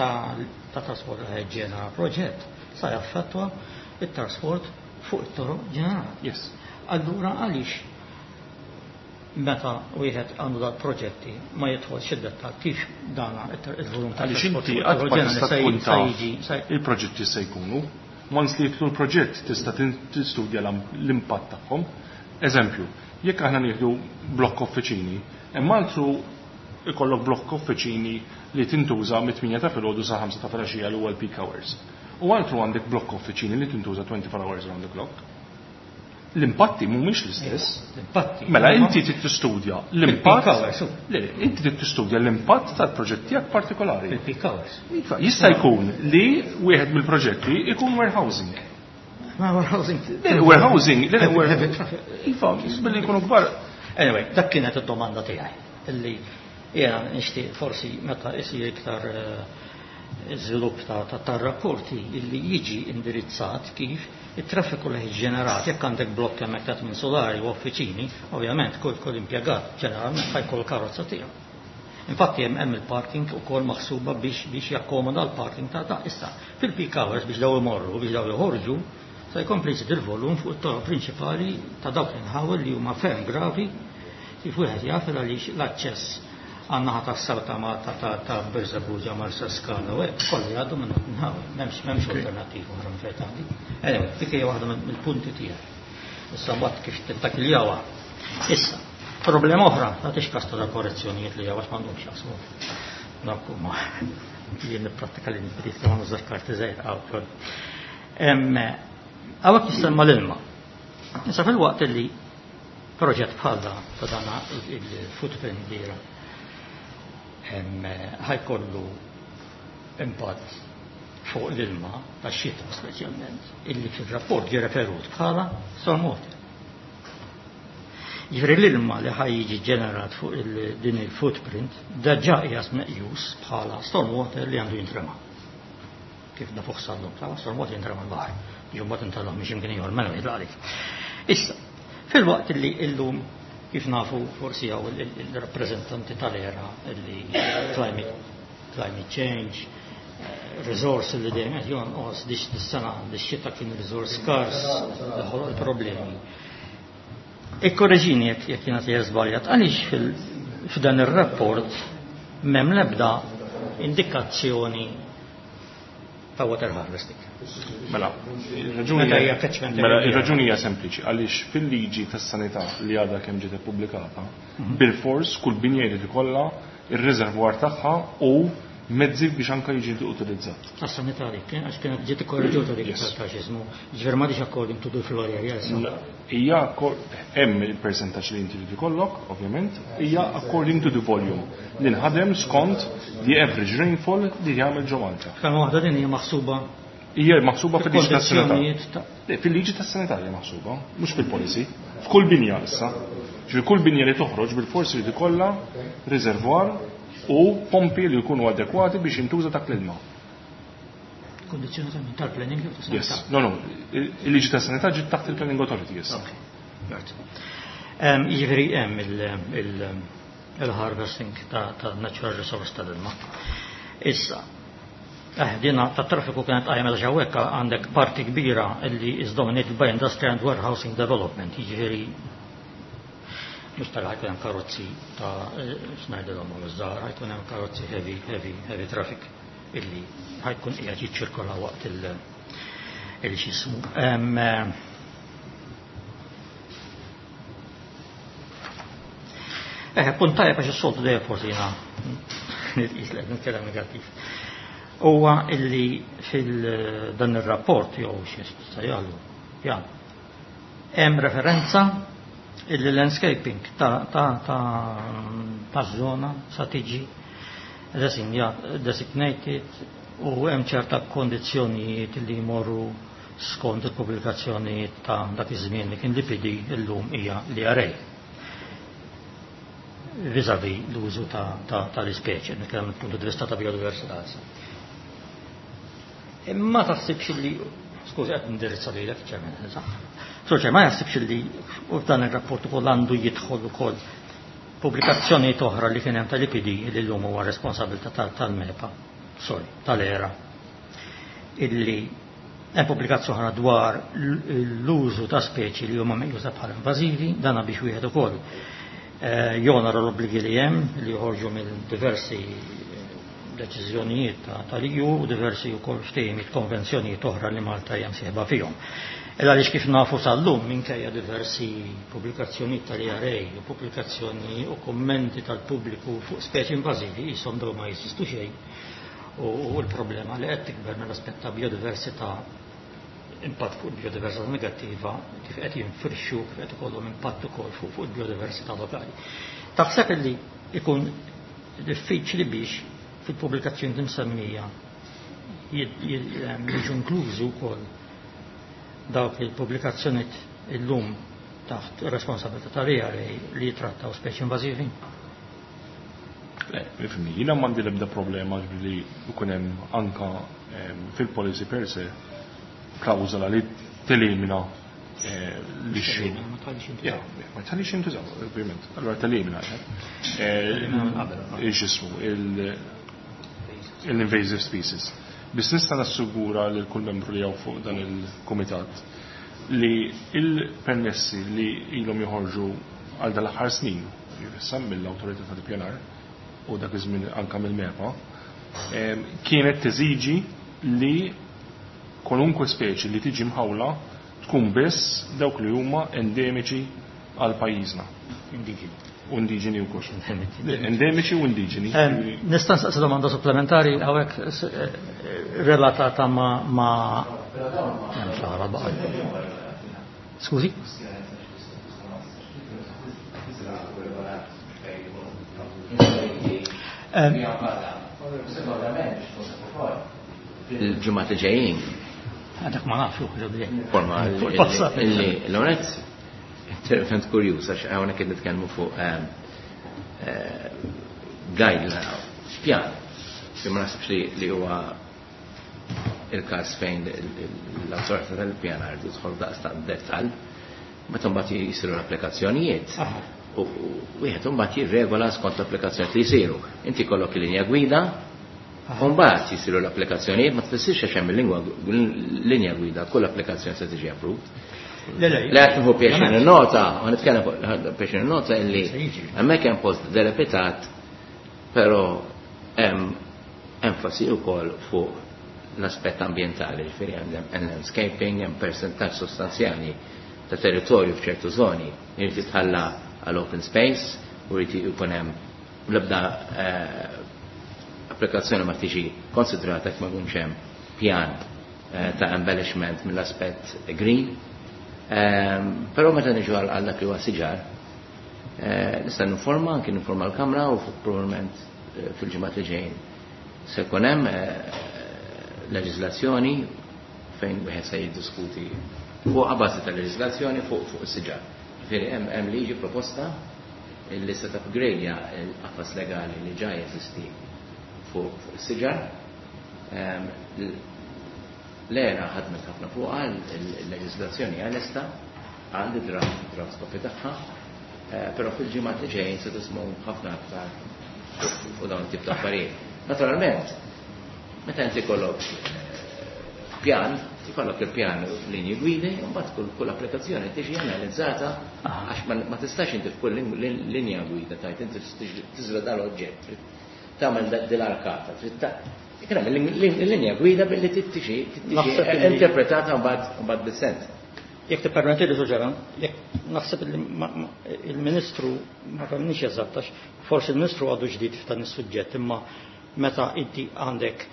Speaker 9: ta' trasport li ġenera proġett sa jaffettwa it-trasport fuq it-toroq ġenerali.
Speaker 2: Yes.
Speaker 9: Allura għaliex meta wieħed għandu dal proġetti ma jidħolx id-dettall kif dana il-volum ta'
Speaker 2: Għaliex inti qatt ma tista' tkun taf il-proġetti se jkunu. Once li jidħlu l-proġett tista' tistudja l-impatt tagħhom. Eżempju, jekk aħna nieħdu blokk offiċini, hemm altru ikollok blokk offiċini li tintuża mit-tmienja ta' filgħodu sa ħamsa ta' filgħaxija li huwa l-peak hours. U altru għandek blokk offiċini li tintuża twenty-four hours around the clock. L-impatti mhumiex l-istess.
Speaker 9: L-impatti.
Speaker 2: Mela inti trid tistudja l-impatt. Le, inti trid tistudja l-impatt tal-proġett tiegħek partikolari.
Speaker 9: Il-peak hours.
Speaker 2: Iva, jista' jkun li wieħed mill-proġetti ikun warehousing.
Speaker 9: Ma warehousing.
Speaker 2: Le, warehousing, le, iva, billi jkunu kbar.
Speaker 9: Anyway, dak kienet id-domanda tiegħi. Illi jiena nixtieq forsi meta isir iktar żvilupp ta' tar-rapporti illi jiġi indirizzat kif it-traffiku li ġenerat jekk għandek blokk hemmhekk ta' tmien solari u offiċini, ovvjament kull kull impjegat ġeneralment ħajkollu karozza tiegħu. Infatti hemm hemm il-parking ukoll maħsuba biex biex jakkomoda l-parking ta' ta' issa. Fil-peak hours biex daw imorru, biex daw joħorġu, se jkompli jżid il-volum fuq it-toroq prinċipali ta' dawk l-inħawi li huma ferm gravi kif wieħed jaf għaliex l-aċċess għan-naħa tas-sawta ma ta' ta' ta' Birżebbuġa Marsa Skala u hekk kollu jgħaddu minn dak inħawi, m'hemmx m'hemmx alternattiva oħra minn fejn tgħaddi. Anyway, dik hija waħda mill-punti tiegħi. Issa mbagħad kif tittakiljawha. Issa, problema oħra, tagħtix każ ta' korrezzjonijiet li għax m'għandhomx jaqsmu. Dak huma jien nipprattika li nbdiet ma nużax karti żgħir hawn. Hawnhekk jissemma l-ilma. Issa fil-waqt li proġett bħal da ta' dana il-footprint kbira ħajkollu impatt fuq l-ilma ta' xita speċjalment illi fil-rapport ġie referut bħala stormwater. Ġifieri l-ilma li ħaj jiġi ġenerat fuq din il-footprint diġà qiegħed meqjus bħala stormwater li għandu jintrema. Kif nafuh sallum, ta' stormwater jintrema l-baħar. Ġu mbagħad intalhom mhix imkien ieħor mela jidlaqlik. Issa, fil-waqt li illum kif nafu forsi hawn il-rappreżentanti tal-era li climate, climate change, resource li dejjem qed jonqos dix dis-sena dix-xita kien resource skars li ħoloq il-problemi. Ikkorreġini jekk jekk jiena sejjer żbaljat, għaliex f'dan ir-rapport m'hemm l-ebda indikazzjoni ta' water harvesting.
Speaker 2: Mela, il-raġuni mela, il-raġuni hija sempliċi, għaliex fil-liġi tas-sanità li għadha kemm ġiet ippubblikata, bil-fors kull binja jrid ikollha ir-reservwar tagħha u mezzi biex anke jiġi utilizzat.
Speaker 9: Tas-sanità dik, għax kienet ġiet ikkorreġuta dik tal-faxizmu, ġifier m'għadix according to the floor area issa.
Speaker 2: Hija hemm il-percentaġġ li inti trid ikollok, ovvjament, hija according to the volume li nħadem skont the average rainfall li jagħmel ġo Malta.
Speaker 9: Kemm waħda din hija maħsuba
Speaker 2: Hija maħsuba fil-liġi tas-sanità.
Speaker 9: fil-kondizzjonijiet
Speaker 2: Fil-liġi tas-sanità hija maħsuba, mhux fil-policy. F'kull binja issa. Ġifieri kull binja li toħroġ bil-forsi li ikollha reservoir u pompi li jkunu adekwati biex jintuża dak l-ilma.
Speaker 9: Kondizzjoni tal-planning jew tas-sanità?
Speaker 2: Yes. No, no. Il-liġi tas-sanità ġiet taħt il-Planning Authority, yes.
Speaker 9: Okay. Right. Jiġifieri hemm il-harvesting ta' natural resource tal-ilma. Issa, eh, dina ta' traffiku kienet qajjem għal hawnhekk għandek parti kbira li is dominated by industrial and warehousing development, jiġifieri mhux tal ħajkun hemm karozzi ta' x'ngħidilhom iż-żgħar, ħajkun hemm karozzi heavy, heavy, heavy traffic illi ħajkun qiegħed jiċċirkola waqt il- il-xismu. Eh, punt tajjeb għax is-soltu dejjem forsi jiena nitqis li qed nitkellem negattiv. Huwa illi fil-dan ir-rapport jew xi jagħmlu, jagħmlu. Hemm referenza illi landscaping ta' ta' ta' ta' żona sa tiġi designated u hemm ċerta kondizzjonijiet li jmorru skont il-pubblikazzjoni ta' dak iż-żmien li kien l-I P D illum hija l-I R A. Vis-à-vis l-użu tal-ispeċi, nitkellem mill-punt di vista ta' biodiversità. Imma taħsibx li Skużi, qed nindirizza lilek, Chairman. Sur Chairman, ma jaħsibx li f'dan ir-rapport ukoll għandu jidħol ukoll pubblikazzjonijiet oħra li kien hemm tal-I P D li llum huwa responsabilità tal-MEPA, sorry, tal-ERA, illi hemm pubblikazzjoni oħra dwar l-użu ta' speċi li huma meqjusa bħala invażivi, dana biex wieħed ukoll eh, jonora l-obbligi li hemm li joħorġu mill diversi deċiżjonijiet tal-E U u diversi wkoll ftehimiet, konvenzjonijiet oħra li Malta hija msieħba fihom. Illa għaliex kif nafu sal-lum, minkejja diversi pubblikazzjonijiet tal-E R A u pubblikazzjoni u kommenti tal-pubbliku fuq speċi invażivi, jisom daw ma jeżistu xejn u l-problema li qed tikber mill-aspett ta' biodiversità, impatt fuq il-biodiversità negattiva, kif qed jinfirxu, kif qed ikollhom impatt ukoll fuq fuq il-biodiversità lokali. Taħseb li ikun diffiċli biex fil-pubblikazzjoni msemmija jiġu inklużi wkoll dawk il-pubblikazzjonijiet illum taħt responsabilità tal-E R A li jitrattaw speċi invażivi?
Speaker 2: Le, ifhimni, jiena m'għandi l-ebda problema li jkun hemm anka fil-policy per se klawżola li telimina eh, l-issue. Ja, ma tħallix jintużaw, ovvjament. Allora telimina. Eh, x'ismu, l-invasive species. Biss nista' nassigura lil kull membru li hawn fuq dan il-kumitat li il-permessi li ilhom joħorġu għal dal-aħħar snin, issa mill-awtorità tal-ippjanar u dak iż-żmien anka mill-MEPA, kienet teżiġi li kwalunkwe speċi li tiġi mħawla tkun biss dawk li huma endemiċi għal pajjiżna.
Speaker 9: Indiġeni.
Speaker 2: U indiġeni wkoll. Endemiċi u indiġeni.
Speaker 9: Nista' nsaqsi domanda supplementari hawnhekk eh, relatata ma' ma' Skużi?
Speaker 10: Il-ġimgħat li ġejjin.
Speaker 9: Għadak ma nafx.
Speaker 10: Forma illi l-onet intervent kurjuż għax hawnhekk qed nitkellmu fuq ehm, eh, guideline, pjan. Li ma naħsibx li huwa il-każ fejn l-awtorità tal-pjanar tidħol daqs dettall, meta mbagħad jisiru l-applikazzjonijiet. U wieħed imbagħad jirregola skont l-applikazzjonijiet li jsiru. Inti kollok il-linja gwida, u mbagħad jisiru l-applikazzjonijiet, ma tfissirx għax hemm il-linja gwida kull applikazzjoni se tiġi approved.
Speaker 9: Le, le,
Speaker 10: Le, qed nieħu pjaċir nota, u nitkellem fuq pjaċir nota illi hemmhekk hemm post delepitat, però hemm enfasi wkoll fuq l-aspett ambientali, ġifieri hemm landscaping, hemm percentaġġ sostanzjali ta' territorju f'ċertu zoni jrid jitħalla għal open space u jrid ikun hemm l-ebda eh, applikazzjoni ma tiġi konsidrata jekk ma jkunx hemm pjan eh, ta' embellishment mill-aspett green. Ehm, però meta niġu għal dak li huwa siġar, eh, nista' ninforma, anki ninforma l-Kamra u probabbilment fil-ġimgħat li ġejjin se jkun hemm leġiżlazzjoni fejn wieħed se jiddiskuti fuq a bażi ta' leġiżlazzjoni fuq fuq is-siġar. Ġifieri hemm hemm liġi proposta illi se tapgradja l-qafas legali li ġa jeżisti fuq fuq is-siġar. Ehm, L-ERA ħadmet ħafna fuqha, il-leġiżlazzjoni hija lesta, għandi draft draft copy tagħha, eh, però fil-ġimgħat li ġejjin se tismgħu ħafna aktar fuq dawn it-tip ta' affarijiet. Naturalment, meta inti kollok pjan, ikollok il-pjan linji gwidi, u mbagħad kull kull applikazzjoni tiġi analizzata għax ma ma tistax inti f'kull linja gwida tajt inti tiżra dal-oġġett, tagħmel dil-arkata, trid ta' Ikun hemm il-linja gwida billi tiġi
Speaker 9: Naħseb illi-
Speaker 10: interpretata mbagħad mbagħad bis-sens.
Speaker 9: Jekk tippermetti li suġġera, jekk naħseb li ma- ma- il-Ministru ma fehmniex eżatt, għax forsi il-Ministru għadu ġdid f'dan is-suġġett, imma meta inti għandek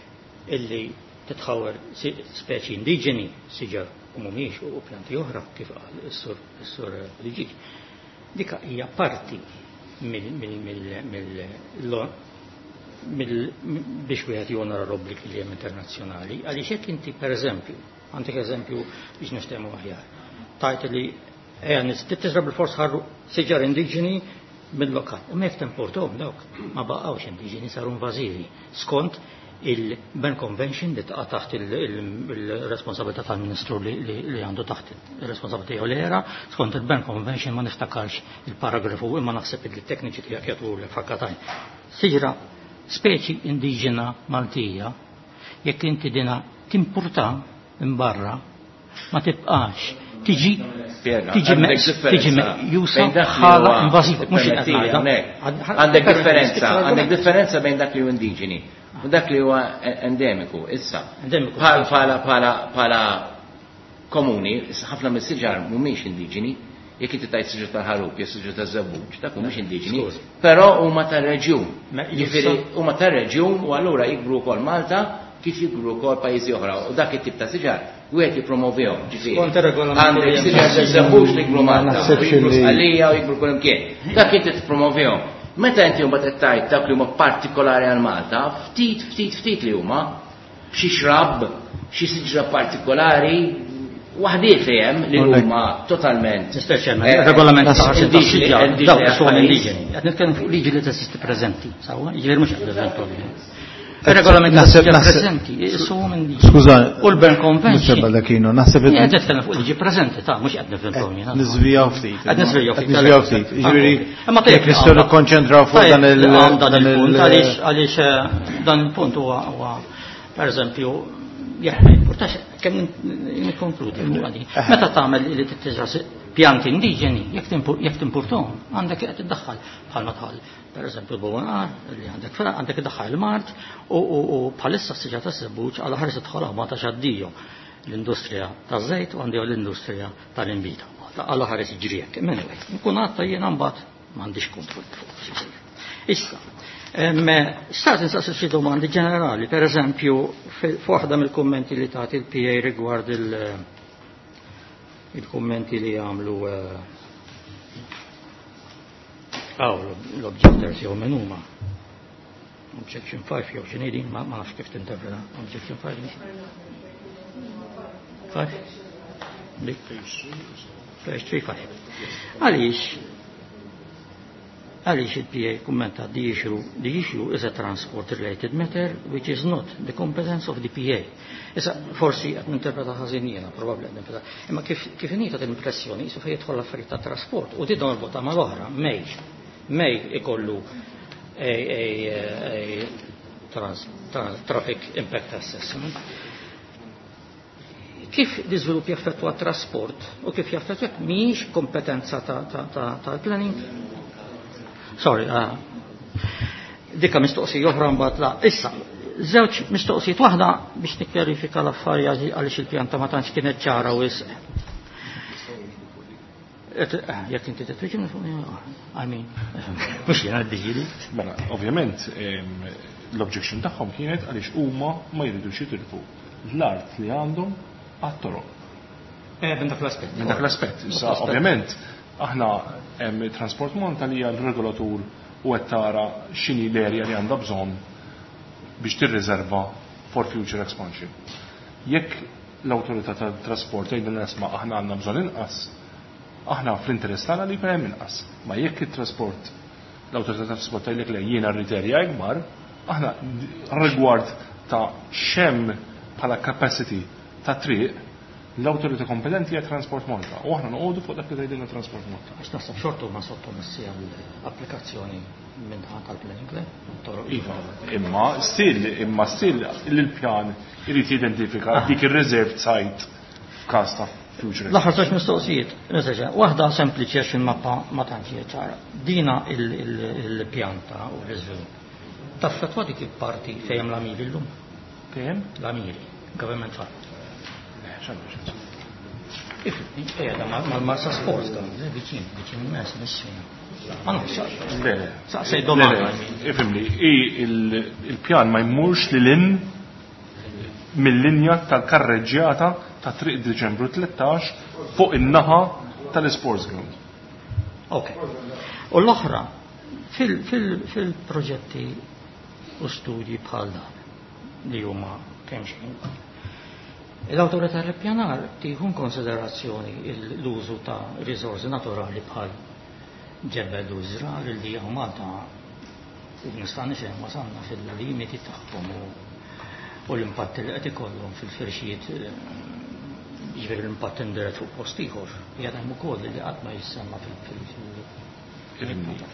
Speaker 9: illi titħawwer si- speċi indiġeni, siġar u mhumiex u pjanti oħra kif qal is-sur is-sur Liġi. Dika hija parti mill mill mill mill mill biex wieħed jonora l-obbligi li hemm internazzjonali, għaliex jekk inti, pereżempju, għandek eżempju biex niftehmu aħjar, tajt li ejja tiżra bil-fors ħarru siġar indiġeni mill-lokal. Imma jekk timportahom dawk ma baqgħux indiġeni, saru invażivi skont Il-Bern Convention li taqa' taħt il-responsabilità tal-Ministru li għandu taħt il-responsabilità tiegħu l-era, skont il-Bern Convention ma niftakarx il-paragrafu imma naħseb li t-tekniċi tiegħek jagħtu l-fakkatajn. Siġra speċi indiġena Maltija, jekk inti dina timpurta minn barra, ma tibqax tiġi tiġi tiġi meqjusa bħala invażiva, mhux qed ngħidha.
Speaker 10: Għandek differenza, għandek differenza bejn dak li hu indiġeni u dak li huwa endemiku issa. Bħala bħala bħala komuni, ħafna mis-siġar mhumiex indiġeni, jekk inti tajt siġar tal-ħarub, jew siġar taż-żebbuġ, dak mhumiex indiġeni, però huma tar-reġjun. Jiġifieri huma tar-reġjun u allura jikbru wkoll Malta kif jikbru wkoll pajjiżi oħra u dak it-tip ta' siġar wieħed jippromovihom, ġifieri. Għandek siġar taż-żebbuġ li jikbru Malta, jikbru Sqallija u jikbru kull imkien. Dak inti tippromovihom. Meta inti mbagħad qed tgħid dak li huma partikolari għal Malta, ftit ftit ftit li huma xi xrab, xi siġra partikolari, waħdiet li hemm li huma totalment.
Speaker 9: Regolament ta' dawk sono indiġeni. Qed nitkellem fuq liġi li teżisti preżenti, sewwa? Jiġifieri mhux qed nivventaw. Il-regolament preżenti, sono indiġeni.
Speaker 1: Skuża,
Speaker 9: u l-Bern Convention.
Speaker 1: Baldacchino, naħseb
Speaker 9: qed nitkellem fuq liġi preżenti ta' mhux qed nivventaw jiena.
Speaker 1: Niżvijaw ftit.
Speaker 9: Qed niżvijaw ftit.
Speaker 1: Niżvijaw ftit. Jiġifieri jekk nistgħu nikkonċentraw fuq dan il
Speaker 9: dan il-punt għaliex għaliex dan il-punt huwa huwa pereżempju jekk ma jimpurtax kemm nikkonkludi fuq għadi. Meta tagħmel li tittiżra pjanti indiġeni, jekk timpurtahom, għandek qed iddaħħal bħalma tħall. Per eżempju l-bowonar li għandek fra għandek iddaħħal il-mart u bħalissa s-siġa tas-sebbuġ għal ħares idħol ma ta' xaddiju l-industrija taż-żejt u għandi l-industrija tal-inbita. Għal ħares jiġri hekk. Anyway, nkun għadta jiena mbagħad m'għandix kontroll fuq. Issa, start insaqsi xi domandi ġenerali, per eżempju, f'waħda mill-kummenti li tagħti il-P A rigward il-kummenti li jagħmlu għaw l-objectors jew min huma. Objection five jew x'inhi din, ma nafx kif tinterpreta. Objection five. Five? Dik. Page three five. Għaliex Għaliex il-P A kummenta the issue, the issue is a transport related matter which is not the competence of the P A. Issa forsi qed ninterpreta ħażin jiena, probabbli qed ninterpreta. Imma kif kif inhi tagħti l-impressjoni qisu fejn jidħol l-affarijiet ta' trasport u di norbota mal-oħra, mej. Mej ikollu a, a, a trans, trans, traffic impact assessment. Kif l-iżvilupp jaffettwa trasport u kif jaffettwa mhijiex kompetenza ta', ta, ta, ta planning? Sorry, uh, dikka mistoqsija oħra mbagħad la. Issa, żewġ mistoqsijiet, waħda biex nikkjarifika l-affarijiet għaliex il-pjanta ma tantx kienet ċara wisq. Jekk inti titwiġibni fuq, I mean, mhux jiena d-diġili.
Speaker 2: Mela, ovvjament, l-objection tagħhom kienet għaliex huma ma jridux jitilfu l-art li għandhom għat-toroq.
Speaker 9: Eh, minn dak l-aspett.
Speaker 2: Minn dak l-aspett. Issa, ovvjament, aħna hemm Transport Malta li hija l-regolatur u qed tara x'inhi l-erja li għandha bżonn biex tirriserva for future expansion. Jekk l-awtorità tat-trasport tgħidilna isma' aħna għandna bżonn inqas, aħna fl-interess tagħna li jkun hemm inqas. Ma jekk it-trasport l-awtorità tat-trasport tgħidlek le jiena rrid erja ikbar, aħna rigward ta' xemm bħala capacity ta' triq l-awtorità kompetenti hija Transport Malta u aħna noqogħdu fuq dak li tgħidilna Transport Malta.
Speaker 9: Għax naħseb xorta huma sottomessi għall-applikazzjoni minn ħadd tal-planning, le? Toroq.
Speaker 2: Iva, imma still, imma still il-pjan irid jidentifika dik ir-reserved site f'każ ta' future.
Speaker 9: L-aħħar żewġ mistoqsijiet, mistoqsija, waħda sempliċi għax il-mappa ma tantx hija ċara. Dina il-pjanta u l-iżvilupp. Taffettwa dik il-parti fejn hemm l-amiri llum?
Speaker 2: Fejn?
Speaker 9: L-amiri, government farm. Qiegħda mal-Marsa Sports dan, viċin, viċin immens, missina. Ma nafx.
Speaker 2: Le, le.
Speaker 9: Saqsej domanda.
Speaker 2: Le, le, ifhimni, il-pjan ma jmurx lil hinn mill-linja tal-karreġġjata ta' Triq Diċembru tlettax fuq in-naħa tal-Sports Ground.
Speaker 9: Ok. U l-oħra, fil-proġetti u studji bħal dan li huma kemm xejn, l-awtorità tal-ippjanar tieħu konsiderazzjoni l-użu ta' riżorsi naturali bħal ġebel u żrar li hawn Malta nista' nifhem wasalna fil-limiti tagħhom u U l-impatt li qed ikollhom fil-firxiet, jiġifieri l-impatt indirett fuq post ieħor, qiegħed hemm ukoll li qatt ma jissemma fil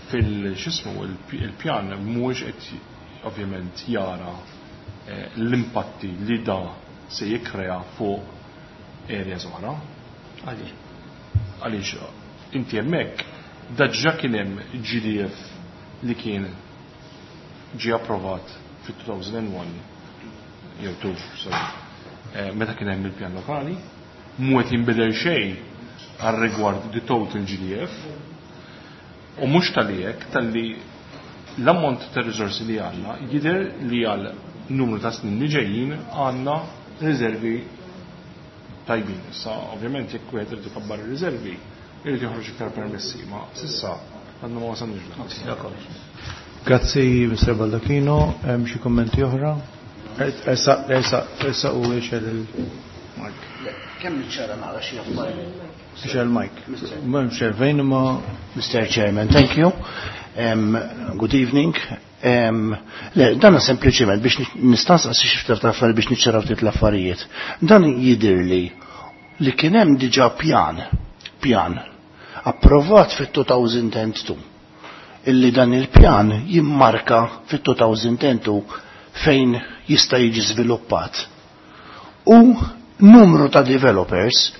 Speaker 2: fil-xismu il-pjan mhuwiex qed ovvjament jara l-impatti li da se jikkrea fuq areas oħra.
Speaker 9: Għaliex?
Speaker 2: Għaliex inti hemmhekk daġġa kien hemm G D F li kien ġie approvat fit-elfejn u wieħed jew tnejn, sorry, meta kien hemm il-pjan lokali, mhu qed jinbidel xejn għal rigward the total G D F u mhux tal hekk talli l-ammont ta' riżorsi li għandna jidher li għal numru ta' snin li ġejjin għandna riservi tajbin. Issa, ovvjament, jekk wieħed irid ikabbar ir-riservi, irid joħroġ iktar permessi, ma s'issa għandna ma wasalniex.
Speaker 1: Grazzi, Mister Baldacchino. Hemm xi kummenti oħra? Ersa, ersa, ersa u ixgħel il-mic.
Speaker 11: Kemm niċċara naqra xi affarijiet.
Speaker 1: Ixgħel il-mic. M'hemmx fejn imma
Speaker 11: Mister Chairman, thank you. Um, good evening. Um, le, dan sempliċement biex nistaqsi xi ftit affarijiet biex niċċaraw ftit l-affarijiet. Dan jidirli li kien hemm diġà pjan, pjan approvat fit-elfejn u tnejn illi dan il-pjan jimmarka fit-elfejn u tnejn fejn jista' jiġi żviluppat. U numru ta' developers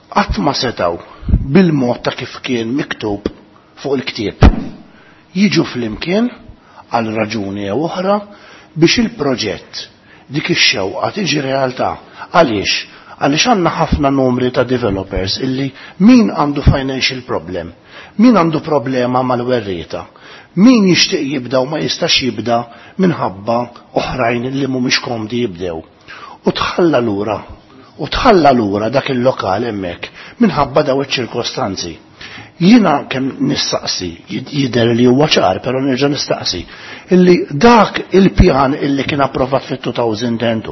Speaker 11: qatt ma setaw bil-mod ta' kif kien miktub fuq il-ktieb jiġu flimkien għal raġuni jew oħra biex il-proġett dik ix-xewqa tiġi realtà. Għaliex? Għaliex għandna ħafna numri ta' developers illi min għandu financial problem, min għandu problema mal-werrieta, min jixtieq jibda u ma jistax jibda minħabba oħrajn li mhumiex komdi jibdew. U tħalla lura, u tħalla lura dak il-lokal hemmhekk minħabba daw iċ-ċirkostanzi. Jiena kemm nistaqsi, jidher li huwa ċar, però nerġa' nistaqsi, illi dak il-pjan illi kien approvat fit-elfejn u tnejn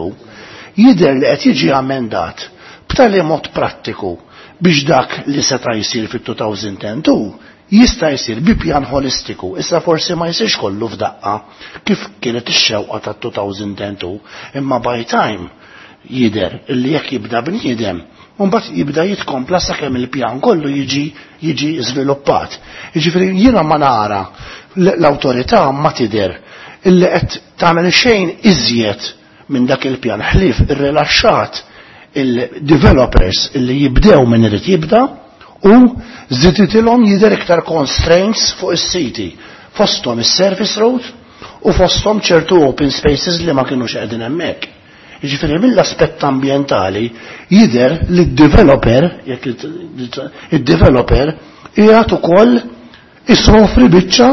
Speaker 11: jidher li qed jiġi amendat b'tali mod prattiku biex dak li seta' jsir fit-elfejn u tnejn jista' jsir bi pjan holistiku. Issa forsi ma jsirx kollu f'daqqa kif kienet ix-xewqa tat-elfejn u tnejn, imma by time jidher illi jekk jibda bniedem mbagħad jibda jitkompla sakemm il-pjan kollu jiġi jiġi żviluppat. Jiġifieri jiena ma nara l-awtorità ma tidher illi qed tagħmel xejn iżjed minn dak il-pjan ħlief irrilaxxat il-developers illi jibdew minn irid jibda u żiditilhom jidher iktar constraints fuq is-siti, fosthom is-service road u fosthom ċertu open spaces li ma kinux qegħdin hemmhekk. Jiġifieri mill-aspett ambjentali jidher li d-developer, jekk id-developer qiegħed ukoll isofri biċċa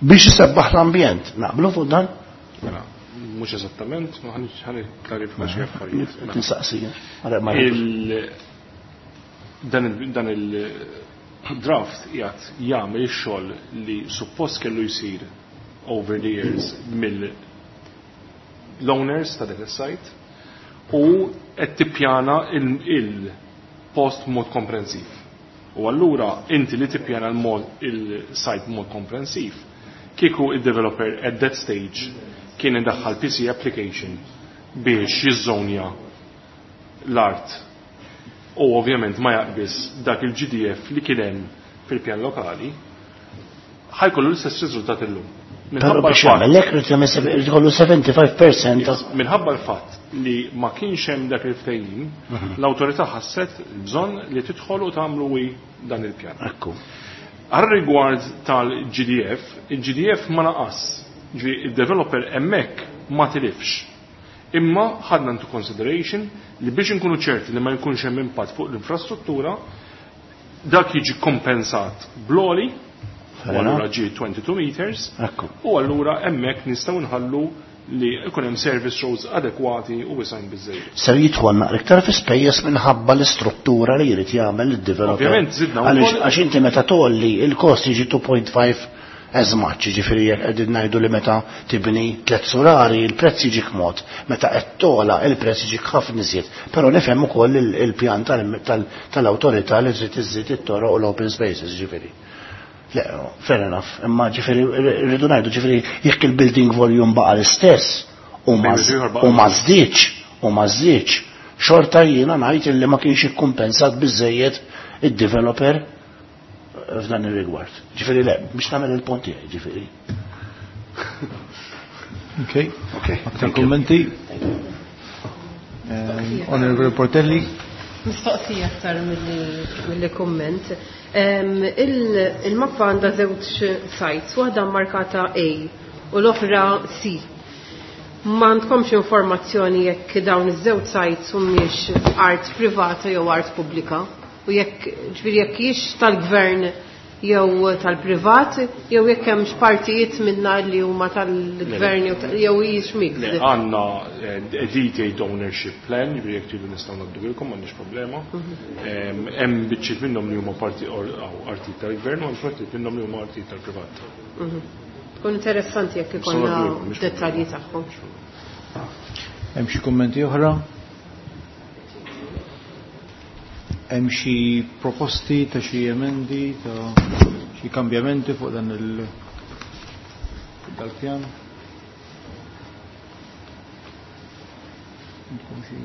Speaker 11: biex isebbaħ l-ambjent. Naqblu fuq dan?
Speaker 2: Mela, mhux eżattament, ma ħa nikklarifika xi affarijiet. Mela.
Speaker 11: Nistaqsi.
Speaker 2: Il- Dan il- dan il-draft qiegħed jagħmel ix-xogħol li suppost kellu jsir over the years mill l-owners ta' dak is-site u qed tippjana il-post mod komprensiv. U allura inti li tippjana l-mod il-site mod komprensiv, kieku il-developer at that stage kien indaħħal P C application biex jizzonja l-art u ovvjament ma jaqbis dak il-G D F li kien hemm fil-pjan lokali, ħa jkollu l-istess riżultat illum.
Speaker 11: Però
Speaker 2: Minħabba
Speaker 11: biex
Speaker 2: l-fatt-
Speaker 11: jagħmel hekk irid jagħmel irid ikollu sebgħa u ħamsin fil-mija ta'
Speaker 2: Minħabba l-fatt li ma kienx hemm dak il-ftehim, l-awtorità ħasset il-bżonn li tidħol u tagħmlu wi dan il-pjan.
Speaker 11: Ekku.
Speaker 2: Għal rigward tal-G D F, il-G D F ma naqas, ġi il-developer hemmhekk ma tilifx. Imma ħadna into consideration li biex inkunu ċerti li ma jkunx hemm impatt fuq l-infrastruttura, dak jiġi kompensat bl-għoli, u
Speaker 11: Fair
Speaker 2: allura ġie twenty-two meters,
Speaker 11: Ekku.
Speaker 2: u allura hemmhekk nistgħu nħallu li jkun hemm service roads adekwati u wisgħin biżejjed.
Speaker 11: Ser jidħol naqra iktar fi spejjeż minħabba l-istruttura li jrid jagħmel id-developer.
Speaker 2: Ovvjament, żidna
Speaker 11: Għaliex
Speaker 2: wkoll-
Speaker 11: għax inti meta tolli il-kost jiġi two point five as much, jiġifieri jekk qegħdin ngħidu li meta tibni tliet sulari il-prezz jiġik mod, meta qed tola il-prezz jiġik ħafna iżjed. Però nifhem ukoll il- il-pjan tal- tal- tal-awtorità li trid iżżid it-toroq u l-open spaces, ġifieri. Le, fair enough, imma ġifieri rridu ngħidu ġifieri jekk il-building volume baqa l-istess, U ma żdiedx, u ma żdiedx, xorta jiena ngħid illi ma kienx ikkumpensat biżejjed id-developer f'dan ir-rigward. Ġifieri le, biex nagħmel il-punt tiegħi, ġifieri.
Speaker 1: Okay. Okay. Aktar kummenti? Onorevole Portelli.
Speaker 4: Mistoqsija aktar milli kumment. Il-mappa għandha żewġ sites, waħda markata A u l-oħra C. Ma għandkomx informazzjoni jekk dawn iż-żewġ sites humiex art privata jew art pubblika u jekk ġifieri jekk hiex tal-gvern jew tal-privat jew jekk hemmx partijiet minna li huma tal-gvern jew hijiex mixed.
Speaker 2: Għandna detailed ownership plan, ġifieri jekk tridu nistgħu ngħaddulkom m'għandniex problema. Hemm biċċiet minnhom li huma parti artijiet tal-gvern u hemm partijiet minnhom li huma artijiet tal-privat.
Speaker 4: Tkun interessanti jekk ikollna dettalji tagħhom.
Speaker 1: Hemm xi kummenti oħra? Hemm xi proposti ta' xi emendi ta' xi kambjamenti fuq dan il dal-pjan? Għandkom xi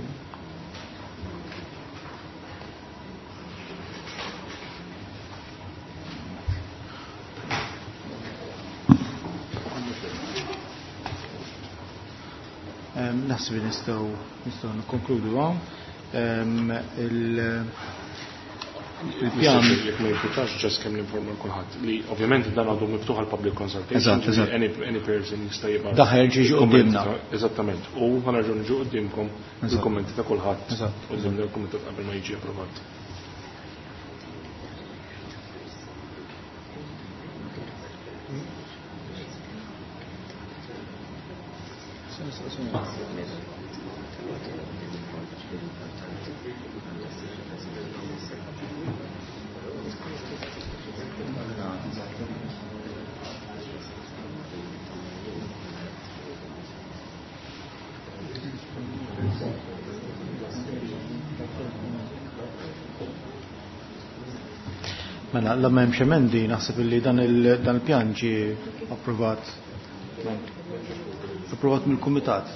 Speaker 1: Naħseb li nistgħu nistgħu nikkonkludu hawn. Il-pjan
Speaker 2: jekk ma jimputax ġast kemm ninforma kulħadd li ovvjament dan għadu miftuħ għal public consultation. Any, any person jista' jibgħat.
Speaker 1: Daħel ġi quddiemna.
Speaker 2: Eżattament. U ħa nerġgħu niġu quddiemkom il-kummenti ta' kulħadd quddiem il-kumitat qabel ma jiġi approvat.
Speaker 1: Mela, la m'hemmx emendi, naħseb illi dan il-pjan ġie approvat approvat mill-kumitat.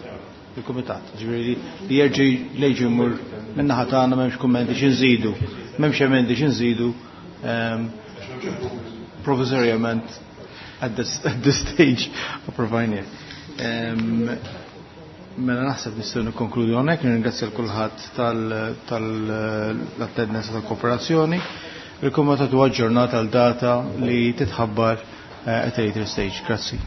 Speaker 1: Il-kumitat, ġifieri li jerġa' lejġi jmur min-naħa tagħna m'hemmx kummenti xi nżidu, m'hemmx emendi xi nżidu provvisorjament at this, at this stage approvajnieh. Mela naħseb nistgħu nikkonkludu hawnhekk, nirringrazzja l kulħadd tal-attendenza tal-kooperazzjoni. Il-kumitat huwa aġġornat għal data li titħabbar at a later stage. Grazzi.